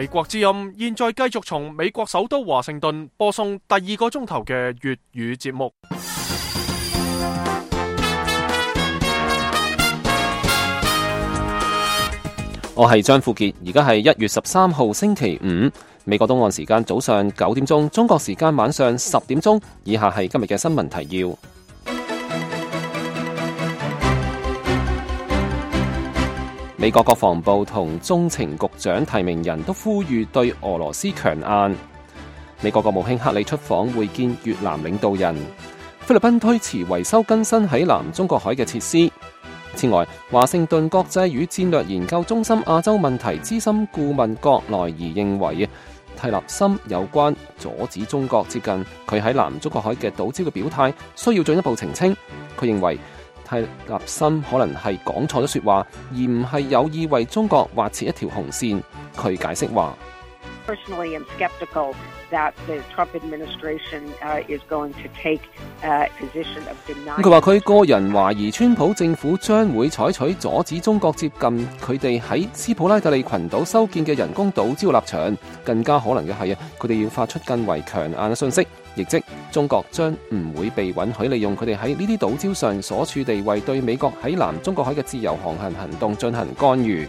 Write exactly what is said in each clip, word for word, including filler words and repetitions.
美國之音現在繼續從美國首都華盛頓播送第二個鐘頭嘅粵語節目。我係張富傑，而家係一月十三號星期五，美國東岸時間早上九點鐘，中國時間晚上十點鐘。以下係今日嘅新聞提要。美國國防部同中情局長提名人都呼籲對俄羅斯強硬。美國國務卿克里出訪會見越南領導人。菲律賓推遲維修更新喺南中國海嘅設施。此外，華盛頓國際與戰略研究中心亞洲問題資深顧問郭萊儀認為，蒂勒森有關阻止中國接近佢喺南中國海嘅島礁嘅表態需要進一步澄清。佢認為蒂勒森可能係講錯咗說話，而唔係有意為中國劃設一條紅線。佢解釋話Personally, I'm skeptical that the Trump administration uh, is going to take a position of denying. 佢話佢個人懷疑川普政府將會採取阻止中國接近佢哋喺斯普拉特利群島修建嘅人工島礁立場，更加可能嘅係啊，佢哋要發出更為強硬嘅訊息，亦即中國將唔會被允許利用佢哋喺呢啲島礁上所處地位對美國喺南中國海嘅自由航行行動進行干預。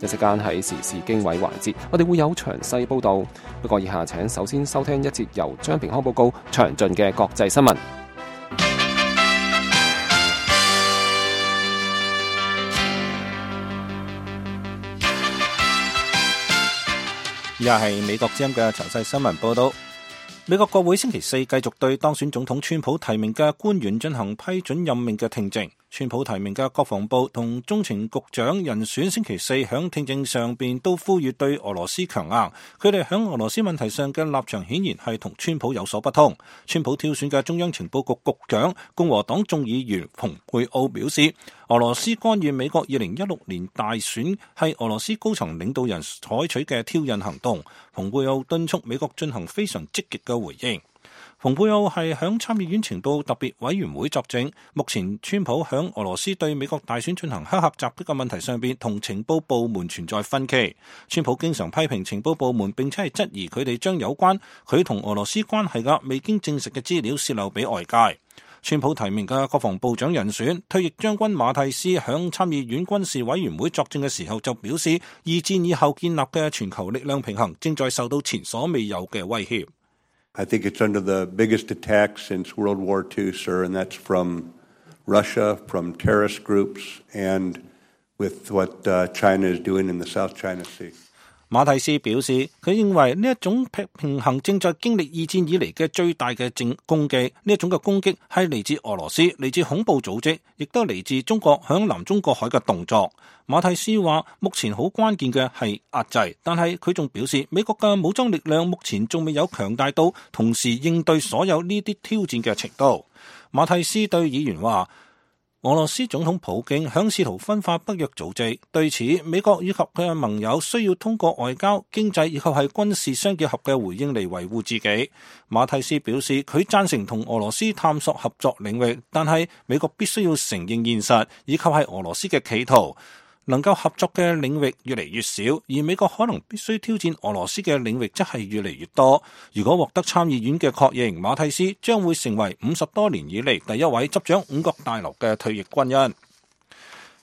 一時間喺時事經緯環節，我哋會有詳細報道。不過以下請首先收聽一節由張平康報告詳盡嘅國際新聞。以下係美國之音嘅詳細新聞報道。美國國會星期四繼續對當選總統川普提名嘅官員進行批准任命嘅聽證。川普提名嘅國防部同中情局長人選星期四響聽證上邊都呼籲對俄羅斯強硬，佢哋響俄羅斯問題上嘅立場顯然係同川普有所不同。川普挑選嘅中央情報局局長共和黨眾議員蓬佩奧表示，俄羅斯干預美國二零一六年大選係俄羅斯高層領導人採取嘅挑釁行動。蓬佩奧敦促美國進行非常積極嘅回應。蓬佩奧係響參議院情報特別委員會作證，目前川普響俄羅斯對美國大選進行黑客襲擊嘅問題上邊，同情報部門存在分歧。川普經常批評情報部門，並且係質疑佢哋將有關佢同俄羅斯關係嘅未經證實嘅資料洩漏俾外界。川普提名嘅國防部長人選退役將軍馬蒂斯響參議院軍事委員會作證嘅時候就表示，二戰以後建立嘅全球力量平衡正在受到前所未有嘅威脅。I think it's under the biggest attack since World War Two, sir, and that's from Russia, from terrorist groups, and with what uh, China is doing in the South China Sea. 馬蒂斯表示，佢認為呢一種平衡正在經歷二戰以嚟嘅最大嘅正攻擊，呢一種嘅攻擊係嚟自俄羅斯，嚟自恐怖組織，亦都嚟自中國響南中國海嘅動作。馬蒂斯話，目前好關鍵嘅係壓制，但係佢仲表示，美國嘅武裝力量目前仲未有強大到同時應對所有呢啲挑戰嘅程度。馬蒂斯對議員話，俄羅斯總統普京響試圖分化北約組織，對此美國以及佢嘅盟友需要通過外交、經濟以及係軍事相結合嘅回應嚟維護自己。馬蒂斯表示，佢贊成同俄羅斯探索合作領域，但係美國必須要承認現實，以及係俄羅斯嘅企圖。能夠合作嘅領域越嚟越少，而美國可能必須挑戰俄羅斯嘅領域則係越嚟越多。如果獲得參議院嘅確認，馬蒂斯將會成為五十多年以嚟第一位執掌五角大樓嘅退役軍人。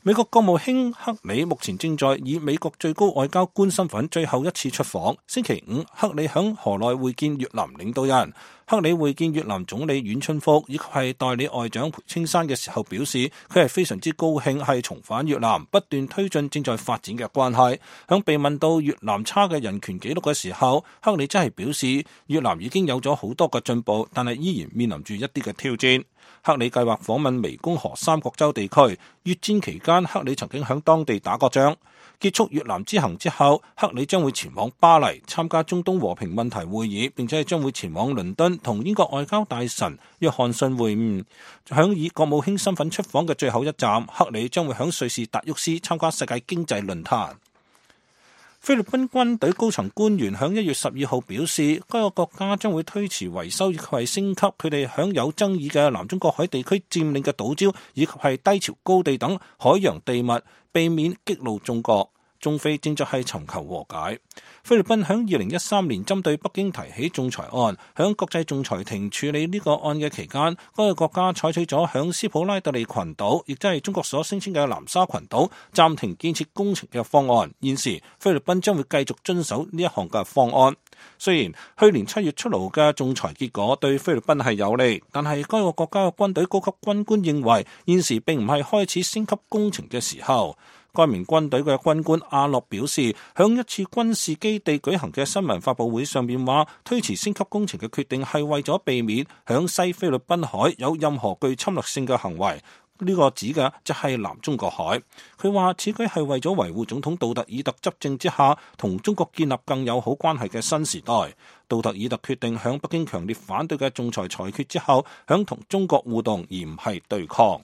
美國國務卿克里目前正在以美國最高外交官身份最後一次出訪。星期五，克里響河內會見越南領導人。克里會見越南總理阮春福以及係代理外長裴青山嘅時候表示，佢係非常之高興係重返越南，不斷推進正在發展嘅關係。響被問到越南差嘅人權紀錄嘅時候，克里真係表示越南已經有咗好多嘅進步，但係依然面臨住一啲嘅挑戰。克里計劃訪問湄公河三角洲地區，越戰期間克里曾經響當地打過仗。結束越南之行之後，克里將會前往巴黎參加中東和平問題會議，並且將會前往倫敦同英國外交大臣約翰遜會晤。響以國務卿身份出訪嘅最後一站，克里將會響瑞士達沃斯參加世界經濟論壇。菲律賓軍隊高層官員響一月十二號表示，該個國家將會推遲維修以及係升級佢哋響有爭議嘅南中國海地區佔領嘅島礁以及係低潮高地等海洋地物，避免激怒中國。中菲正在係尋求和解。菲律賓響二零一三年針對北京提起仲裁案，響國際仲裁庭處理呢個案嘅期間，該個國家採取咗響斯普拉特利群島，亦即係中國所聲稱嘅南沙群島暫停建設工程嘅方案。現時菲律賓將會繼續遵守呢一項嘅方案。雖然去年七月出爐嘅仲裁結果對菲律賓係有利，但係該個國家嘅軍隊高級軍官認為現時並唔係開始升級工程嘅時候。該名軍隊嘅軍官阿洛表示，響一次軍事基地舉行嘅新聞發佈會上面話，推遲升級工程嘅決定係為咗避免響西菲律賓海有任何具侵略性嘅行為。呢個指嘅就係南中國海。佢話此舉係為咗維護總統杜特爾特執政之下同中國建立更友好關係嘅新時代。杜特爾特決定響北京強烈反對嘅仲裁裁決之後，響同中國互動而唔係對抗。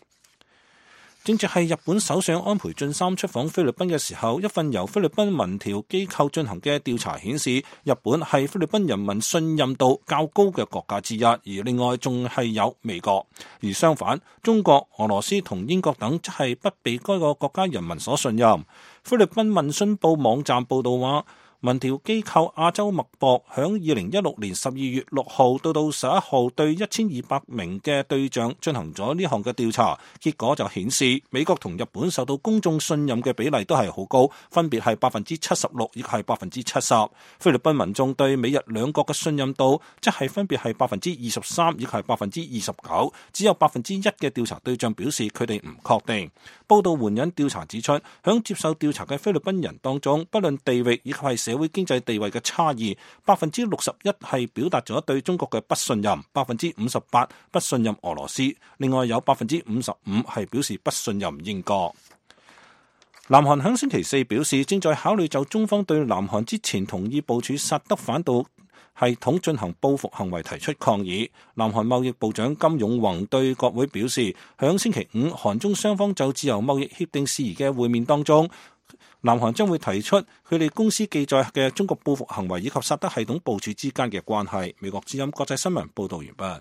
正值係日本首相安倍晉三出訪菲律賓嘅時候，一份由菲律賓民調機構進行嘅調查顯示，日本係菲律賓人民信任度較高嘅國家之一，而另外仲係有美國。而相反，中國、俄羅斯同英國等則係不被該個國家人民所信任。菲律賓民訊報網站報道話，民調機構亞洲脈搏響二零一六年十二月六號到到十一號對一千二百名嘅對象進行咗呢項嘅調查，結果就顯示美國同日本受到公眾信任嘅比例都係好高，分別係百分之七十六，亦係百分之七十。菲律賓民眾對美日兩國嘅信任度即係分別係百分之二十三，亦係百分之二十九。只有百分之一嘅調查對象表示佢哋唔確定。報道援引調查指出，響接受調查嘅菲律賓人當中，不論地域以及係社會經濟地位嘅差異，百分之六十一係表達咗對中國嘅不信任，百分之五十八不信任俄羅斯，另外有百分之五十五係表示不信任英國。南韓響星期四表示，正在考慮就中方對南韓之前同意部署薩德反導系統進行報復行為提出抗議。南韓貿易部長金永宏對國會表示，響星期五韓中雙方就自由貿易協定事宜嘅會面當中，南韓將會提出佢哋公司記載嘅中國報復行為以及薩德系統部署之間嘅關係。美國之音國際新聞報道完畢。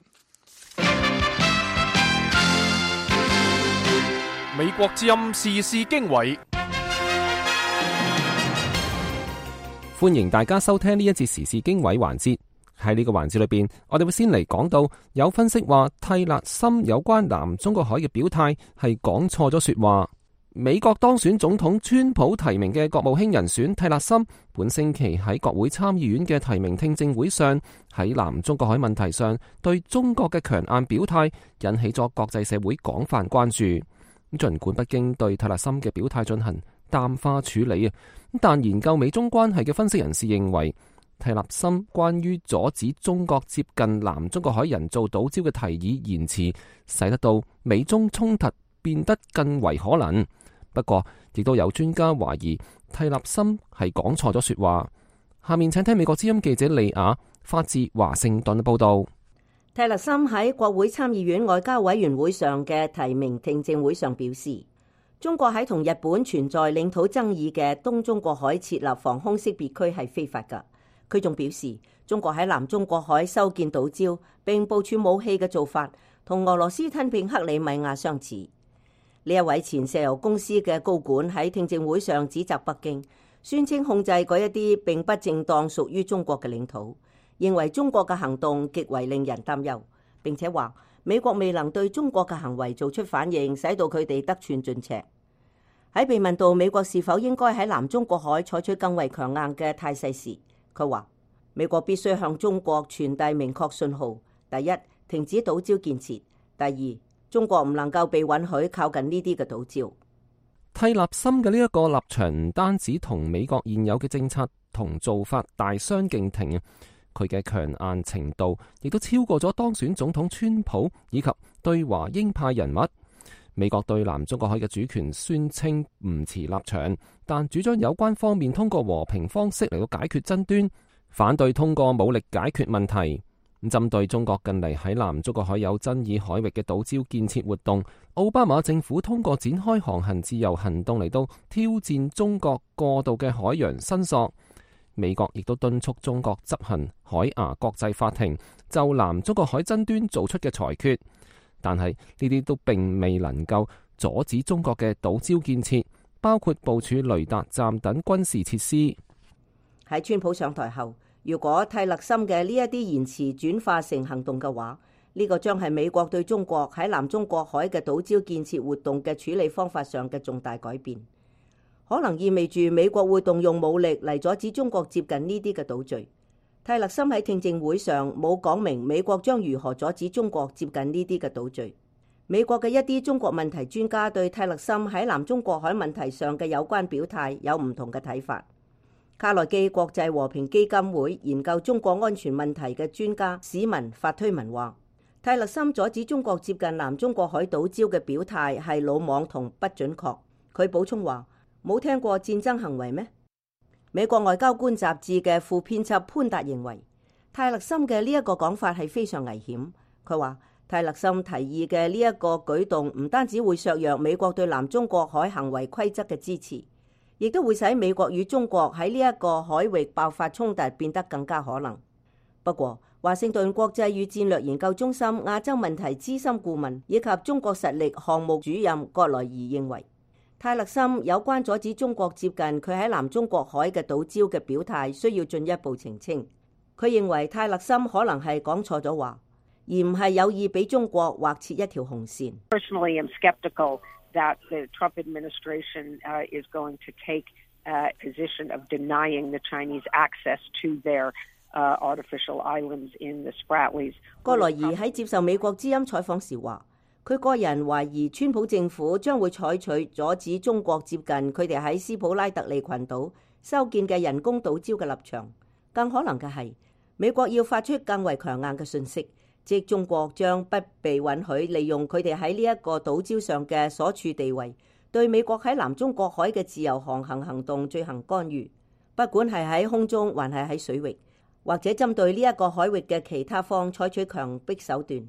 美國之音時事經緯，歡迎大家收聽呢一節時事經緯環節。喺呢個環節裏邊，我哋會先嚟講到有分析話蒂勒森有關南中國海嘅表態係講錯咗說話。美國當選總統川普提名嘅國務卿人選蒂勒森，本星期喺國會參議院嘅提名聽證會上，喺南中國海問題上對中國嘅強硬表態，引起咗國際社會廣泛關注。盡管北京對蒂勒森嘅表態進行淡化處理啊，但研究美中關係嘅分析人士認為，蒂勒森關於阻止中國接近南中國海人造島礁嘅提議言辭，使得到美中衝突變得更為可能。不過，亦都有專家懷疑蒂勒森係講錯咗說話。下面請聽美國之音記者利亞發自華盛頓嘅報道。蒂勒森喺國會參議院外交委員會上嘅提名聽證會上表示，中國喺同日本存在領土爭議嘅東中國海設立防空識別區係非法㗎。佢仲表示，中國喺南中國海修建島礁並部署武器嘅做法，同俄羅斯吞併克里米亞相似。呢一位前石油公司嘅高管喺聽證會上指責北京，宣稱控制嗰一啲並不正當屬於中國嘅領土，認為中國嘅行動極為令人擔憂，並且話美國未能對中國嘅行為做出反應，使到佢哋得寸進尺。喺被問到美國是否應該喺南中國海採取更為強硬嘅態勢時，佢話美國必須向中國傳遞明確信號：第一，停止島礁建設；第二，中國唔能夠被允許靠近呢啲嘅島礁。蒂勒森嘅呢一個立場唔單止同美國現有嘅政策同做法大相徑庭，佢嘅強硬程度亦都超過咗當選總統川普以及對華鷹派人物。美國對南中國海嘅主權宣稱唔持立場，但主張有關方面通過和平方式嚟到解決爭端，反對通過武力解決問題。針對中國近嚟喺南中國海有爭議海域嘅島礁建設活動，奧巴馬政府通過展開航行自由行動嚟到挑戰中國過度嘅海洋申索。美國亦都敦促中國執行海牙國際法庭就南中國海爭端做出嘅裁決，但係呢啲都並未能夠阻止中國嘅島礁建設，包括部署雷達站等軍事設施。喺川普上台後，如果泰勒森嘅呢一啲言辭轉化成行動嘅話，呢個將係美國對中國喺南中國海嘅島礁建設活動嘅處理方法上嘅重大改變，可能意味住美國會動用武力嚟阻止中國接近呢啲嘅島嶼。泰勒森喺聽證會上冇講明美國將如何阻止中國接近呢啲嘅島嶼。美國嘅一啲中國問題專家對泰勒森喺南中國海問題上嘅有關表態有唔同嘅睇法。卡內基國際和平基金會研究中國安全問題嘅專家史文發推文話，泰勒森阻止中國接近南中國海島礁嘅表態係魯莽同不準確。佢補充話，冇聽過戰爭行為咩？美國外交官雜誌嘅副編輯潘達認為，泰勒森嘅呢一個講法係非常危險。佢話，泰勒森提議嘅呢一個舉動唔單止會削弱美國對南中國海行為規則嘅支持，亦都會使美國與中國喺呢一個海域爆發衝突變得更加可能。不過，華盛頓國際與戰略研究中心亞洲問題資深顧問以及中國實力項目主任葛萊儀認為，泰勒森有關阻止中國接近佢喺南中國海嘅島礁嘅表態需要進一步澄清。佢認為泰勒森可能係講錯咗話，而唔係有意俾中國劃設一條紅線。Personally, I'm skeptical that the Trump administration uh, is going to take a position of denying the Chinese access to their uh, artificial islands in the Spratlys. 葛萊儀喺接受美國之音採訪時話，佢個人懷疑川普政府將會採取阻止中國接近佢哋喺斯普拉特利群島修建嘅人工島礁嘅立場。更可能嘅係，美國要發出更為強硬嘅訊息，即中國將不被允許利用佢哋喺呢一個島礁上嘅所處地位，對美國喺南中國海嘅自由航行行動進行干預，不管係喺空中還係喺水域，或者針對呢一個海域嘅其他方採取強迫手段。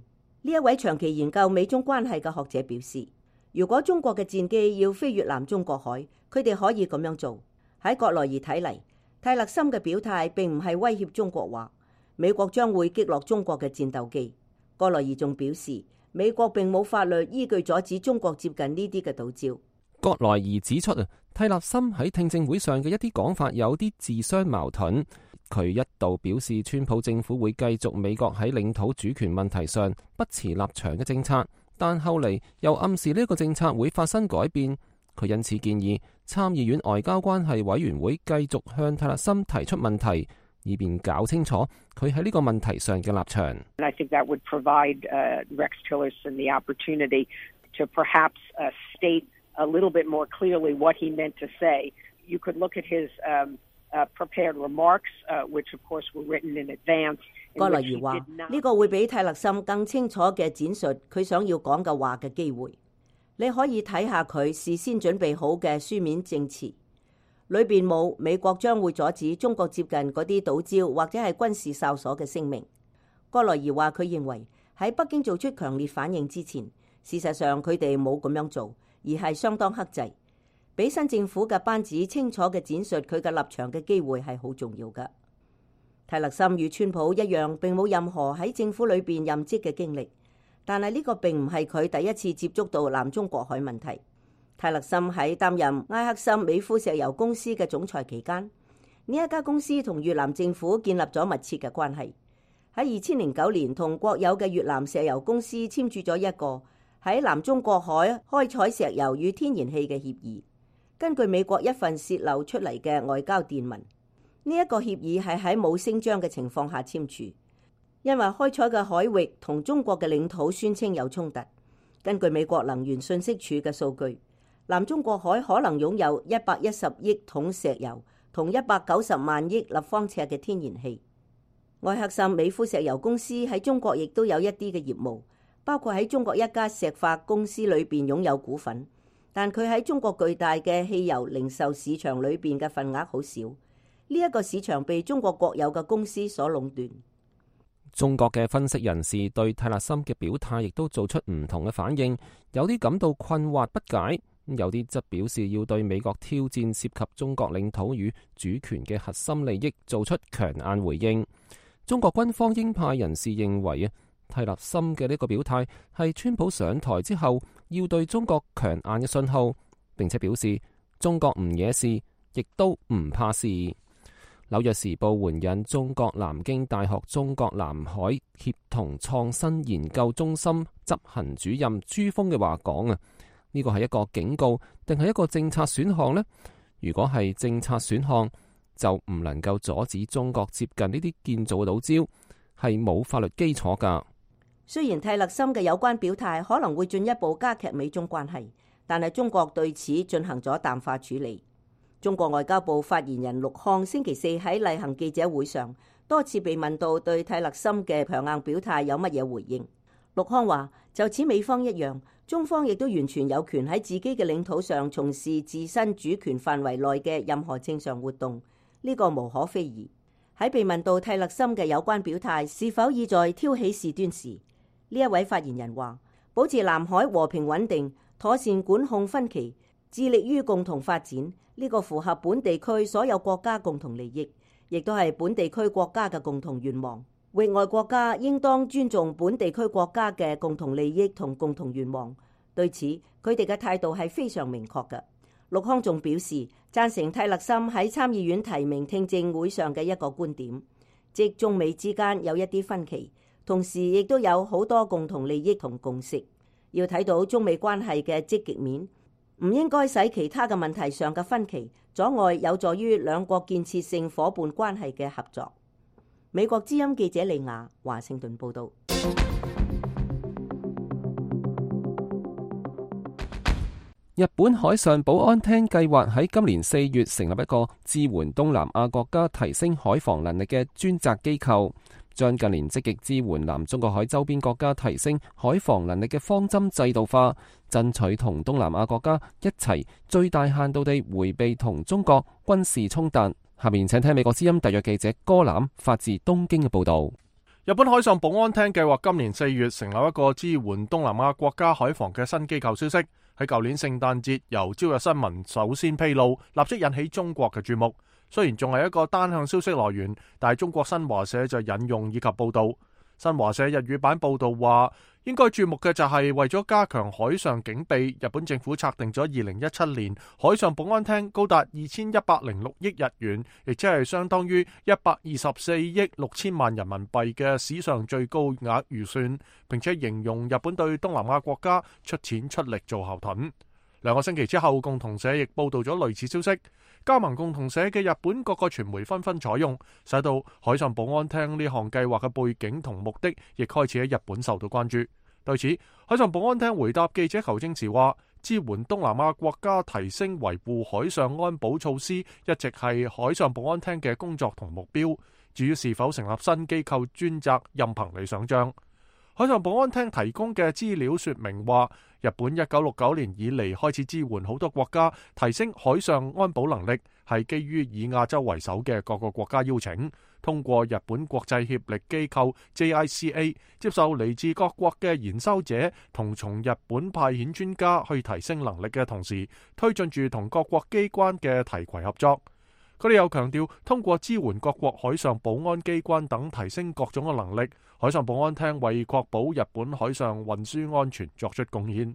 呢一位長期研究美中關係嘅學者表示，如果中國嘅戰機要飛越南中國海，佢哋可以咁樣做。喺葛萊儀睇嚟，泰勒森嘅表態並唔係威脅中國話美國將會擊落中國嘅戰鬥機。葛萊儀仲表示，美國並冇法律依據阻止中國接近呢啲嘅島礁。葛萊儀指出啊，泰勒森喺聽證會上嘅一啲講法有啲自相矛盾。佢一度表示川普政府會繼續美國喺領土主權問題上不持立場嘅政策，但後嚟又暗示呢個政策會發生改變。佢因此建議參議院外交關係委員會繼續向泰勒森提出問題，以便搞清楚佢喺呢個問題上嘅立場。I think that would provide uh, Rex Tillerson the opportunity to perhaps uh, state a little bit more clearly what he meant to say. You could look at his um, uh, prepared remarks, uh, which of course were written in advance. 葛萊儀話：呢個會俾泰勒森更清楚嘅展述佢想要講嘅話嘅機會。你可以睇下佢事先準備好嘅書面證詞，裏邊冇美國將會阻止中國接近嗰啲島礁或者係軍事哨所嘅聲明。葛萊儀話佢認為喺北京做出強烈反應之前，事實上佢哋冇咁樣做，而係相當克制，俾新政府嘅班子清楚嘅展述佢嘅立場嘅機會係好重要㗎。泰勒森與川普一樣，並冇任何喺政府裏邊任職嘅經歷。但係呢個並唔係佢第一次接觸到南中國海問題。泰勒森喺擔任埃克森美孚石油公司嘅總裁期間，呢一家公司同越南政府建立咗密切嘅關係。喺二千零九年，同國有嘅越南石油公司簽署咗一個喺南中國海開採石油與天然氣嘅協議。根據美國一份洩漏出嚟嘅外交電文，呢一個協議係喺冇聲張嘅情況下簽署。因為開採嘅海域同中國嘅領土宣稱有衝突。根據美國能源信息署嘅數據，南中國海可能擁有一百一十億桶石油同一百九十萬億立方尺嘅天然氣。埃克森美孚石油公司喺中國亦都有一啲嘅業務，包括喺中國一家石化公司裏邊擁有股份，但佢喺中國巨大嘅汽油零售市場裏邊嘅份額好少。呢一個市場被中國國有嘅公司所壟斷。中國嘅分析人士對泰勒森嘅表態亦都做出唔同嘅反應，有啲感到困惑不解，有啲則表示要對美國挑戰涉及中國領土與主權嘅核心利益做出強硬回應。中國軍方鷹派人士認為啊，泰勒森嘅呢個表態係川普上台之後要對中國強硬嘅信號，並且表示中國唔惹事，亦都唔怕事。紐約時報援引中國南京大學中國南海協同創新研究中心執行主任朱峰嘅話講啊，呢個係一個警告定係一個政策選項呢？如果係政策選項，就唔能夠阻止中國接近呢啲建造嘅島礁，係冇法律基礎噶。雖然蒂勒森嘅有關表態可能會進一步加劇美中關係，但係中國對此進行咗淡化處理。中國外交部發言人陸康星期四喺例行記者會上多次被問到對蒂勒森嘅強硬表態有乜嘢回應。陸康話：就此美方一樣，中方亦都完全有權喺自己嘅領土上從事自身主權範圍內嘅任何正常活動，呢個無可非議。喺被問到蒂勒森嘅有關表態是否意在挑起事端時，呢一位發言人話：保持南海和平穩定，妥善管控分歧，致力於共同發展，呢個符合本地區所有國家共同利益，亦都係本地區國家嘅共同願望。域外國家應當尊重本地區國家嘅共同利益同共同願望。對此，佢哋嘅態度係非常明確嘅。陸康仲表示贊成蒂勒森喺參議院提名聽證會上嘅一個觀點，即中美之間有一啲分歧，同時亦都有好多共同利益同共識。要睇到中美關係嘅積極面，唔應該使其他嘅問題上嘅分歧阻礙有助於兩國建設性夥伴關係嘅合作。美國之音記者李雅華盛頓報道。日本海上保安廳計劃喺今年四月成立一個支援東南亞國家提升海防能力嘅專責機構，將近年積極支援南中國海周邊國家提升海防能力嘅方針制度化，爭取同東南亞國家一齊最大限度地迴避同中國軍事衝突。下面請聽美國之音特約記者戈欖發自東京嘅報道。日本海上保安廳計劃今年四月成立一個支援東南亞國家海防嘅新機構消息，喺舊年聖誕節由朝日新聞首先披露，立即引起中國嘅注目。雖然仲係一個單向消息來源，但係中國新華社就引用以及報道。新華社日語版報道話，應該注目嘅就係為咗加強海上警備，日本政府策定咗二零一七年海上保安廳高達二千一百零六億日元，亦即係相當於一百二十四億六千萬人民幣嘅史上最高額預算，並且形容日本對東南亞國家出錢出力做後盾。兩個星期之後，共同社亦報道咗類似消息。加盟共同社嘅日本各個傳媒紛紛採用，使到海上保安廳呢項計劃嘅背景同目的，亦開始喺日本受到關注。對此，海上保安廳回答記者求證時話，支援東南亞國家提升維護海上安保措施，一直係海上保安廳嘅工作同目標。至於是否成立新機構專責，任憑你想象。海上保安廳提供嘅資料說明話，日本一九六九年以嚟開始支援好多國家提升海上安保能力，係基於以亞洲為首嘅各個國家邀請，通過日本國際協力機構 J I C A 接受嚟自各國嘅研修者同從日本派遣專家去提升能力嘅同時，推進住同各國機關嘅提攜合作。佢哋又強調，通過支援各國海上保安機關等提升各種嘅能力，海上保安廳為確保日本海上運輸安全作出貢獻。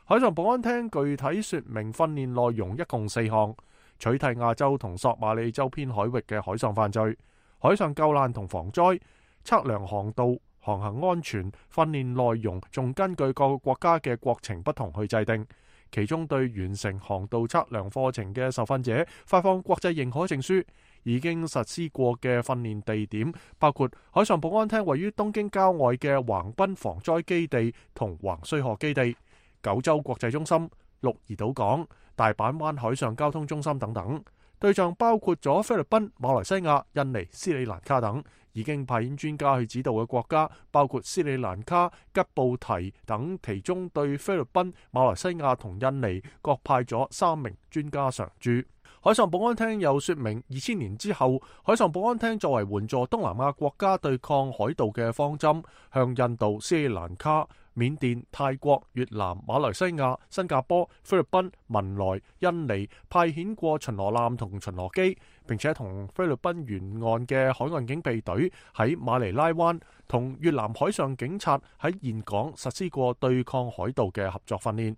海上保安廳具體說明訓練內容一共四項：取締亞洲同索馬里周邊海域嘅海上犯罪、海上救難同防災、測量航道、航行安全。訓練內容仲根據各個國家嘅國情不同去制定。其中對完成航道測量課程嘅受訓者發放國際認可證書。已經實施過嘅訓練地點包括海上保安廳位於東京郊外嘅橫濱防災基地同橫須賀基地、九州國際中心、鹿兒島港、大阪灣海上交通中心等等。對象包括咗菲律賓、馬來西亞、印尼、斯里蘭卡等。已經派遣專家去指導嘅國家包括斯里蘭卡、吉布提等，其中對菲律賓、馬來西亞同印尼各派咗三名專家常駐。海上保安廳又說明，二千年之後，海上保安廳作為援助東南亞國家對抗海盜嘅方針，向印度、斯里蘭卡、緬甸、泰國、越南、馬來西亞、新加坡、菲律賓、文萊、印尼派遣過巡邏艦同巡邏機，並且同菲律賓沿岸嘅海岸警備隊喺馬尼拉灣同越南海上警察喺峴港實施過對抗海盜嘅合作訓練。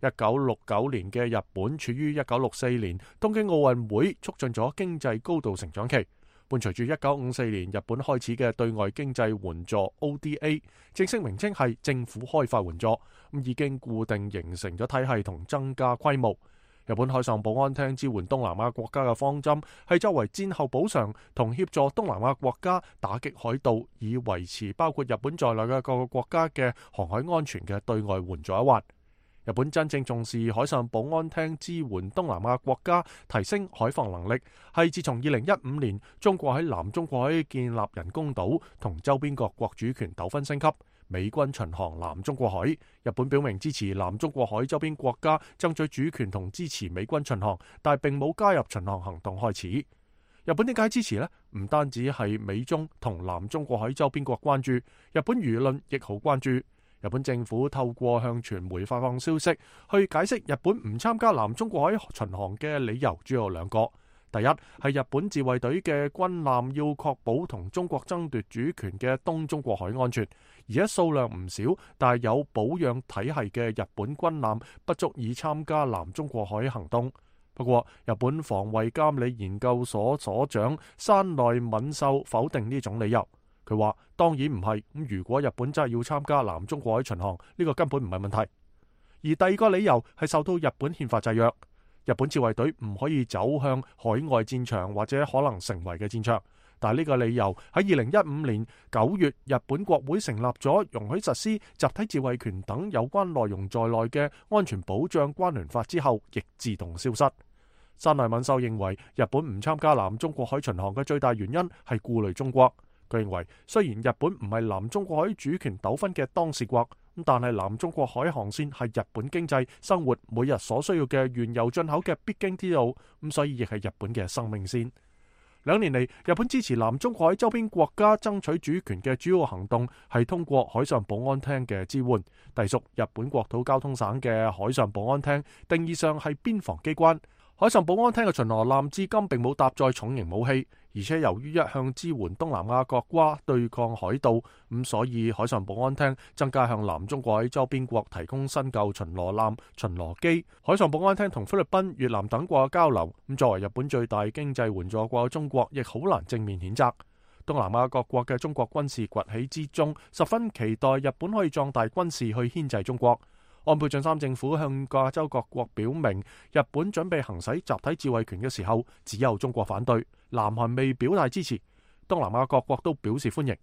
一九六九年嘅日本處於一九六四年東京奧運會促進咗經濟高度成長期，伴隨住一九五四年日本開始嘅對外經濟援助 O D A， 正式名稱係政府開發援助，咁已經固定形成咗體系同增加規模。日本海上保安廳支援東南亞國家嘅方針係作為戰後補償同協助東南亞國家打擊海盜，以維持包括日本在內嘅各個國家嘅航海安全嘅對外援助一環。日本真正重視海上保安廳支援東南亞國家提升海防能力，係自從二零一五年中國喺南中國海建立人工島同周邊各國主權糾紛升級，美軍巡航南中國海，日本表明支持南中國海周邊國家爭取主權同支持美軍巡航，但並冇加入巡航行動開始。日本點解支持呢？唔單止係美中同南中國海周邊國關注，日本輿論亦好關注。日本政府透過向傳媒發放消息，去解釋日本唔參加南中國海巡航嘅理由主要有兩個。第一係日本自衛隊嘅軍艦要確保同中國爭奪主權嘅東中國海安全，而且數量唔少，但係有保養體系嘅日本軍艦不足以參加南中國海行動。不過，日本防衛監理研究所所長山內敏秀否定呢種理由。佢話：當然唔係，咁如果日本真係要參加南中國海巡航，呢個根本唔係問題。而第二個理由係受到日本憲法制約，日本自衛隊唔可以走向海外戰場或者可能成為嘅戰場。但係呢個理由喺二零一五年九月，日本國會成立咗容許實施集體自衛權等有關內容在內嘅安全保障關聯法之後，亦自動消失。山內敏秀認為，日本唔參加南中國海巡航嘅最大原因係顧慮中國。佢認為，雖然日本唔係南中國海主權糾紛嘅當事國，但係南中國海航線係日本經濟生活每日所需要嘅原油進口嘅必經之路，咁所以亦係日本嘅生命線。兩年嚟，日本支持南中國海周邊國家爭取主權嘅主要行動係通過海上保安廳嘅支援，隸屬日本國土交通省嘅海上保安廳，定義上係邊防機關。海上保安廳嘅巡邏艦至今並冇搭載重型武器，而且由於一向支援東南亞國家對抗海盜，咁所以海上保安廳增加向南中國海周邊國提供新舊巡邏艦、巡邏機。海上保安廳同菲律賓、越南等國嘅交流，咁作為日本最大經濟援助國嘅中國，亦好難正面譴責。東南亞各國嘅中國軍事崛起之中，十分期待日本可以壯大軍事去牽制中國。安倍晉三政府向亞洲各國表明，日本準備行使集體自衛權嘅時候，只有中國反對，南韓未表態支持，東南亞各國都表示歡迎。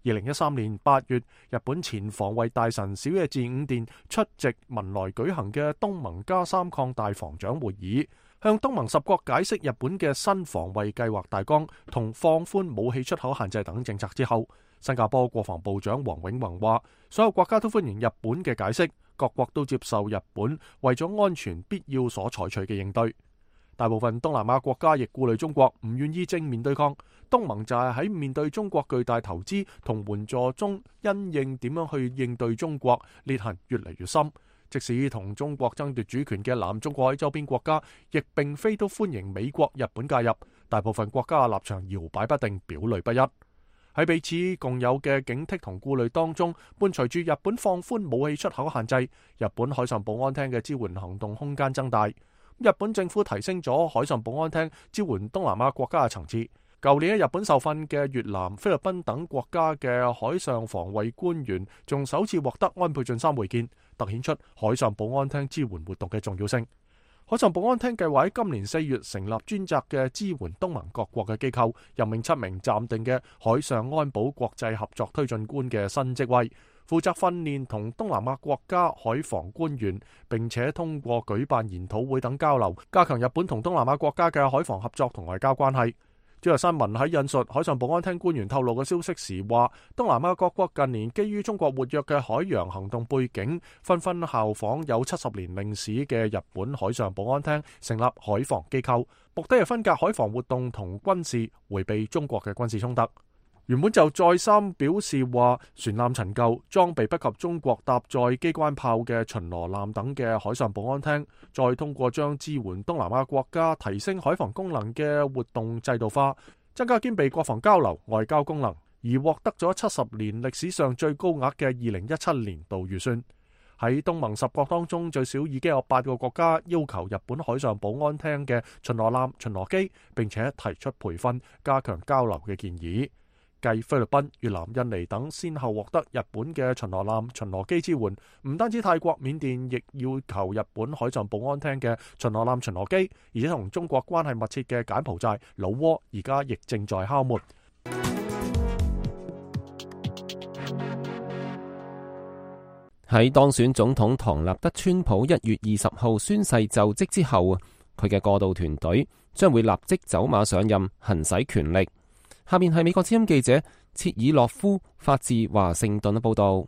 二零一三年八月，日本前防衛大臣小野寺五殿出席文萊舉行嘅東盟加三擴大防長會議，向東盟十國解釋日本嘅新防衛計劃大綱同放寬武器出口限制等政策之後，新加坡國防部長黃永宏話：所有國家都歡迎日本嘅解釋，各國都接受日本為咗安全必要所採取嘅應對。大部分東南亞國家亦顧慮中國，唔願意正面對抗。東盟就係喺面對中國巨大投資同援助中，因應點樣去應對中國，裂痕越嚟越深。即使同中國爭奪主權嘅南中國海周邊國家，亦並非都歡迎美國、日本介入。大部分國家嘅立場搖擺不定，表裏不一。喺彼此共有嘅警惕同顧慮當中，伴隨住日本放寬武器出口限制，日本海上保安廳嘅支援行動空間增大。日本政府提升咗海上保安廳支援東南亞國家嘅層次。舊年喺日本受訓嘅越南、菲律賓等國家嘅海上防衛官員，仲首次獲得安倍晉三會見，凸顯出海上保安廳支援活動嘅重要性。海上保安廳計劃喺今年四月成立專責嘅支援東盟各國嘅機構，任命七名暫定嘅海上安保國際合作推進官嘅新職位，負責訓練同東南亞國家海防官員，並且通過舉辦研討會等交流，加強日本同東南亞國家嘅海防合作同外交關係。朝日新聞喺引述海上保安廳官員透露嘅消息時話，東南亞各國近年基於中國活躍嘅海洋行動背景，紛紛效仿有七十年歷史嘅日本海上保安廳，成立海防機構，目的係分隔海防活動同軍事，迴避中國嘅軍事衝突。原本就再三表示話，船艦陳舊、裝備不及中國搭載機關炮嘅巡邏艦等嘅海上保安廳，再通過將支援東南亞國家提升海防功能嘅活動制度化，增加兼備國防交流、外交功能，而獲得咗七十年歷史上最高額嘅二零一七年度預算。喺東盟十國當中，最少已經有八個國家要求日本海上保安廳嘅巡邏艦、巡邏機，並且提出培訓、加強交流嘅建議。繼菲律賓、越南、印尼等先後獲得日本嘅巡邏艦、巡邏機支援，唔單止泰國、緬甸亦要求日本海上保安廳嘅巡邏艦、巡邏機，而且同中國關係密切嘅柬埔寨、老撾而家亦正在敲門。喺當選總統唐納德川普一月二十號宣誓就職之後，佢嘅過渡團隊將會立即走馬上任，行使權力。下面係美國之音記者切爾諾夫發自華盛頓嘅報道。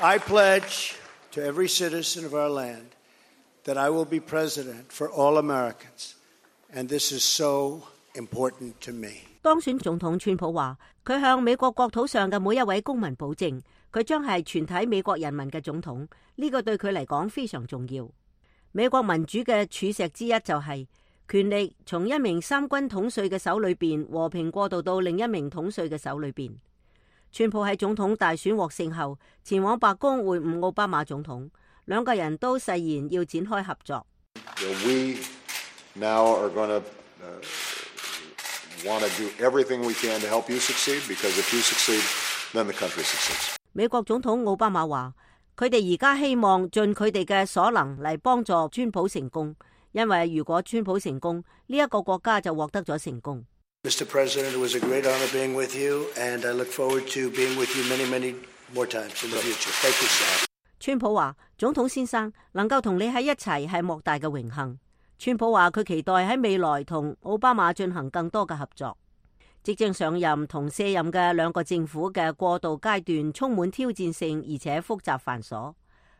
I pledge to every citizen of our land that I will be president for all Americans, and this is so important to me. 當選總統川普話，佢向美國國土上嘅每一位公民保證，佢將係全體美國人民嘅總統。呢個對佢嚟講非常重要。美國民主嘅柱石之一就係權力從一名三軍統帥嘅手裏邊和平過渡到另一名統帥嘅手裏邊。川普喺總統大選獲勝後，前往白宮會晤奧巴馬總統，兩個人都誓言要展開合作。We now are going to want to do everything we can to help you succeed, because if you succeed, then the country succeeds. 美國總統奧巴馬話，佢哋而家希望盡佢哋嘅所能嚟幫助川普成功，因為如果川普成功，呢一個國家就獲得咗成功。Mister President, it was a great honor being with you, and I look forward to being with you many, many more times in the future. Thank you, sir. 川普話，總統先生能夠同你喺一齊係莫大嘅榮幸。川普話佢期待喺未來同奧巴馬進行更多嘅合作。即將上任同卸任嘅兩個政府嘅過渡階段充滿挑戰性，而且複雜繁瑣。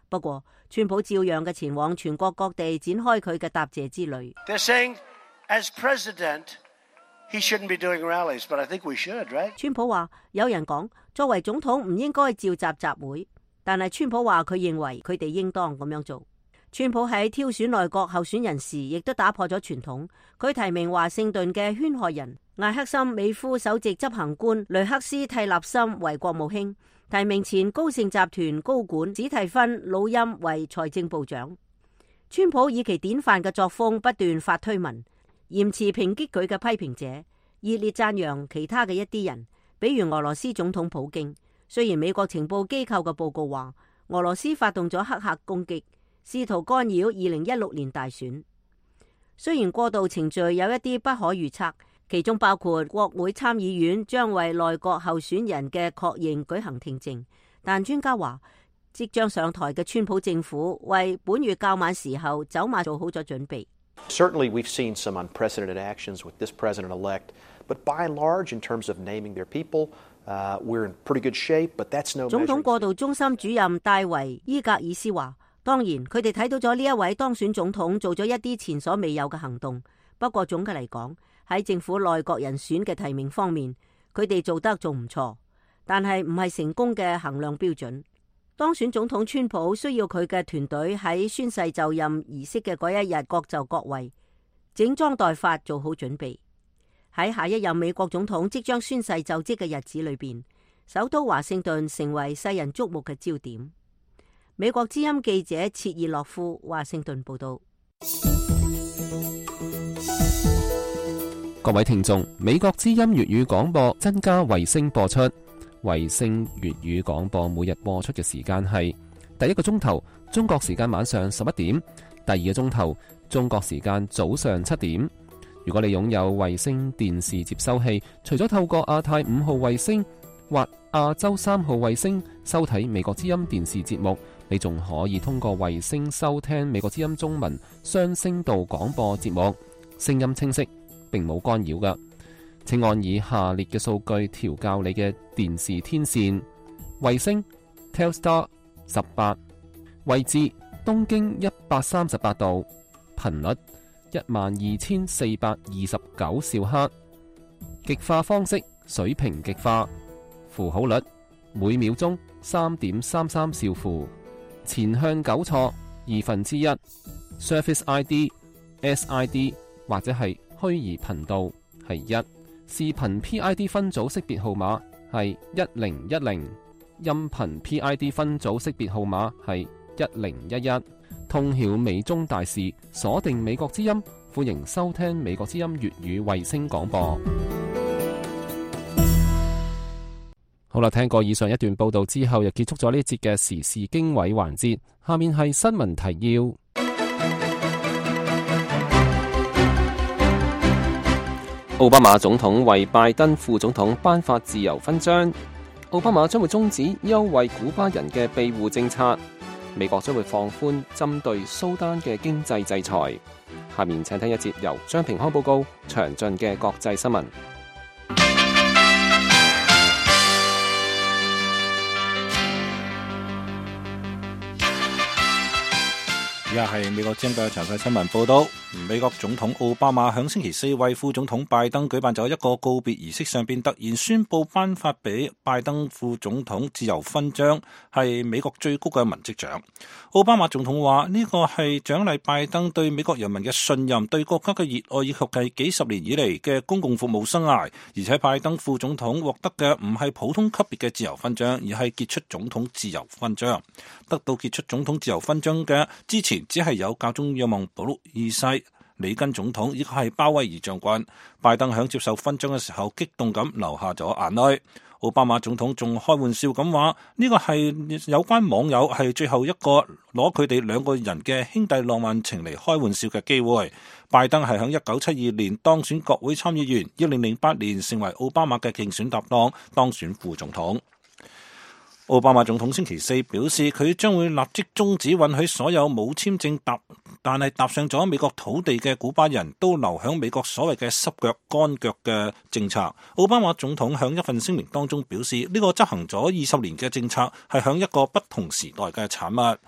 不過，川普照樣嘅前往全國各地展開佢嘅答謝之旅。They're saying, as president, he shouldn't be doing rallies, but I think we should, right? 川普話，有人講作為總統唔應該召集集會，但係川普話佢認為佢哋應當咁樣做。川普喺挑選內閣候選人時，亦都打破咗傳統。佢提名華盛頓嘅圈害人艾克森美孚首席執行官雷克斯蒂納森為國務卿，提名前高盛集團高管史蒂芬魯欽為財政部長。川普以其典範嘅作風不斷發推文，嚴詞抨擊佢嘅批評者，熱烈讚揚其他嘅一啲人，比如俄羅斯總統普京。雖然美國情報機構嘅報告話俄羅斯發動咗黑客攻擊，試圖干擾二零一六年大選。雖然過渡程序有一啲不可預測，其中包括國會參議院將為內閣候選人嘅確認舉行聽證，但專家話即將上台嘅川普政府為本月較晚時候走馬做好咗準備。Certainly we've seen some unprecedented actions with this president-elect, but by and large, in terms of naming their people, uh, we're in pretty good shape, but that's no measure. 總統過渡中心主任戴維伊格爾斯話，當然佢哋睇到咗呢一位當選總統做咗一啲前所未有嘅行動，不過總嘅嚟講，喺政府內閣人選嘅提名方面，佢哋做得仲唔錯，但係唔係成功嘅衡量標準。當選總統川普需要佢嘅團隊喺宣誓就任儀式嘅嗰一日各就各位，整裝待發做好準備。喺下一任美國總統即將宣誓就職嘅日子裏邊，首都華盛頓成為世人矚目嘅焦點。美國之音記者切爾諾夫華盛頓報道。各位聽眾，美國之音粵語廣播增加衛星播出。衛星粵語廣播每日播出嘅時間係第一個鐘頭中國時間晚上十一點，第二個鐘頭中國時間早上七點。如果你擁有衛星電視接收器，除咗透過亞太五號衛星或亞洲三號衛星收睇美國之音電視節目，你仲可以通過衛星收聽美國之音中文雙聲道廣播節目，聲音清晰，並冇干擾㗎。請按以下列嘅數據調校你嘅電視天線：衛星 Telstar 十八，位置東經一百三十八度，頻率一萬二千四百二十九兆赫，極化方式水平極化，符號率每秒鐘三點三三兆符，前向糾錯二分之一 ，Service I D S I D 或者係虛擬頻道係一。視頻 P I D 分組識別號碼係一零一零，音頻 P I D 分組識別號碼係一零一一。通曉美中大事，鎖定美國之音，歡迎收聽美國之音粵語衛星廣播。好啦，聽過以上一段報道之後，又結束咗呢節嘅時事經緯環節。下面係新聞提要。奧巴馬總統為拜登副總統頒發自由勳章。奧巴馬將會終止優惠古巴人嘅庇護政策。美國將會放寬針對蘇丹嘅經濟制裁。下面請聽一節由張平康報告詳盡嘅國際新聞。而家係美國之音嘅詳細新聞報道。美國總統奧巴馬響星期四為副總統拜登舉辦咗一個告別儀式，上邊突然宣布頒發俾拜登副總統自由勳章，係美國最高嘅文職獎。奧巴馬總統話呢個係獎勵拜登對美國人民嘅信任、對國家嘅熱愛以及係幾十年以嚟嘅公共服務生涯。而且拜登副總統獲得嘅唔係普通級別嘅自由勳章，而係傑出總統自由勳章。得到傑出總統自由勳章嘅之前只係有教宗若望保祿二世、里根總統以及係鮑威爾將軍。拜登響接受勳章嘅時候激動咁流下咗眼淚。奧巴馬總統仲開玩笑咁話呢個係有關網友係最後一個攞佢哋兩個人嘅兄弟浪漫情嚟開玩笑嘅機會。拜登係響一九七二年當選國會參議員，二零零八年成為奧巴馬嘅競選搭檔，當選副總統。奧巴馬總統星期四表示，佢將會立即終止允許所有冇簽證搭但係踏上咗美國土地嘅古巴人都留響美國所謂嘅濕腳乾腳嘅政策。奧巴馬總統響一份聲明當中表示，呢個執行咗二十年嘅政策係響一個不同時代嘅產物。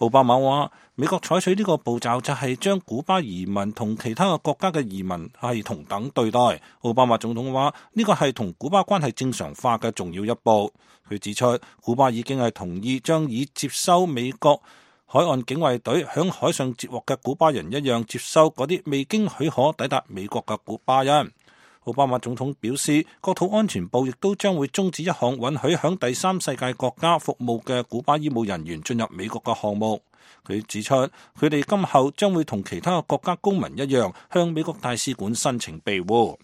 奧巴馬話，美國採取呢個步驟就係將古巴移民同其他嘅國家嘅移民係同等對待。奧巴馬總統話，呢個係同古巴關係正常化嘅重要一步。佢指出，古巴已經係同意將以接收美國海岸警衛隊響海上截獲嘅古巴人一樣接收嗰啲未經許可抵達美國嘅古巴人。奧巴馬總統表示，國土安全部亦都將會終止一項允許響第三世界國家服務嘅古巴醫務人員進入美國嘅項目。佢指出，佢哋今後將會同其他國家公民一樣向美國大使館申請庇護。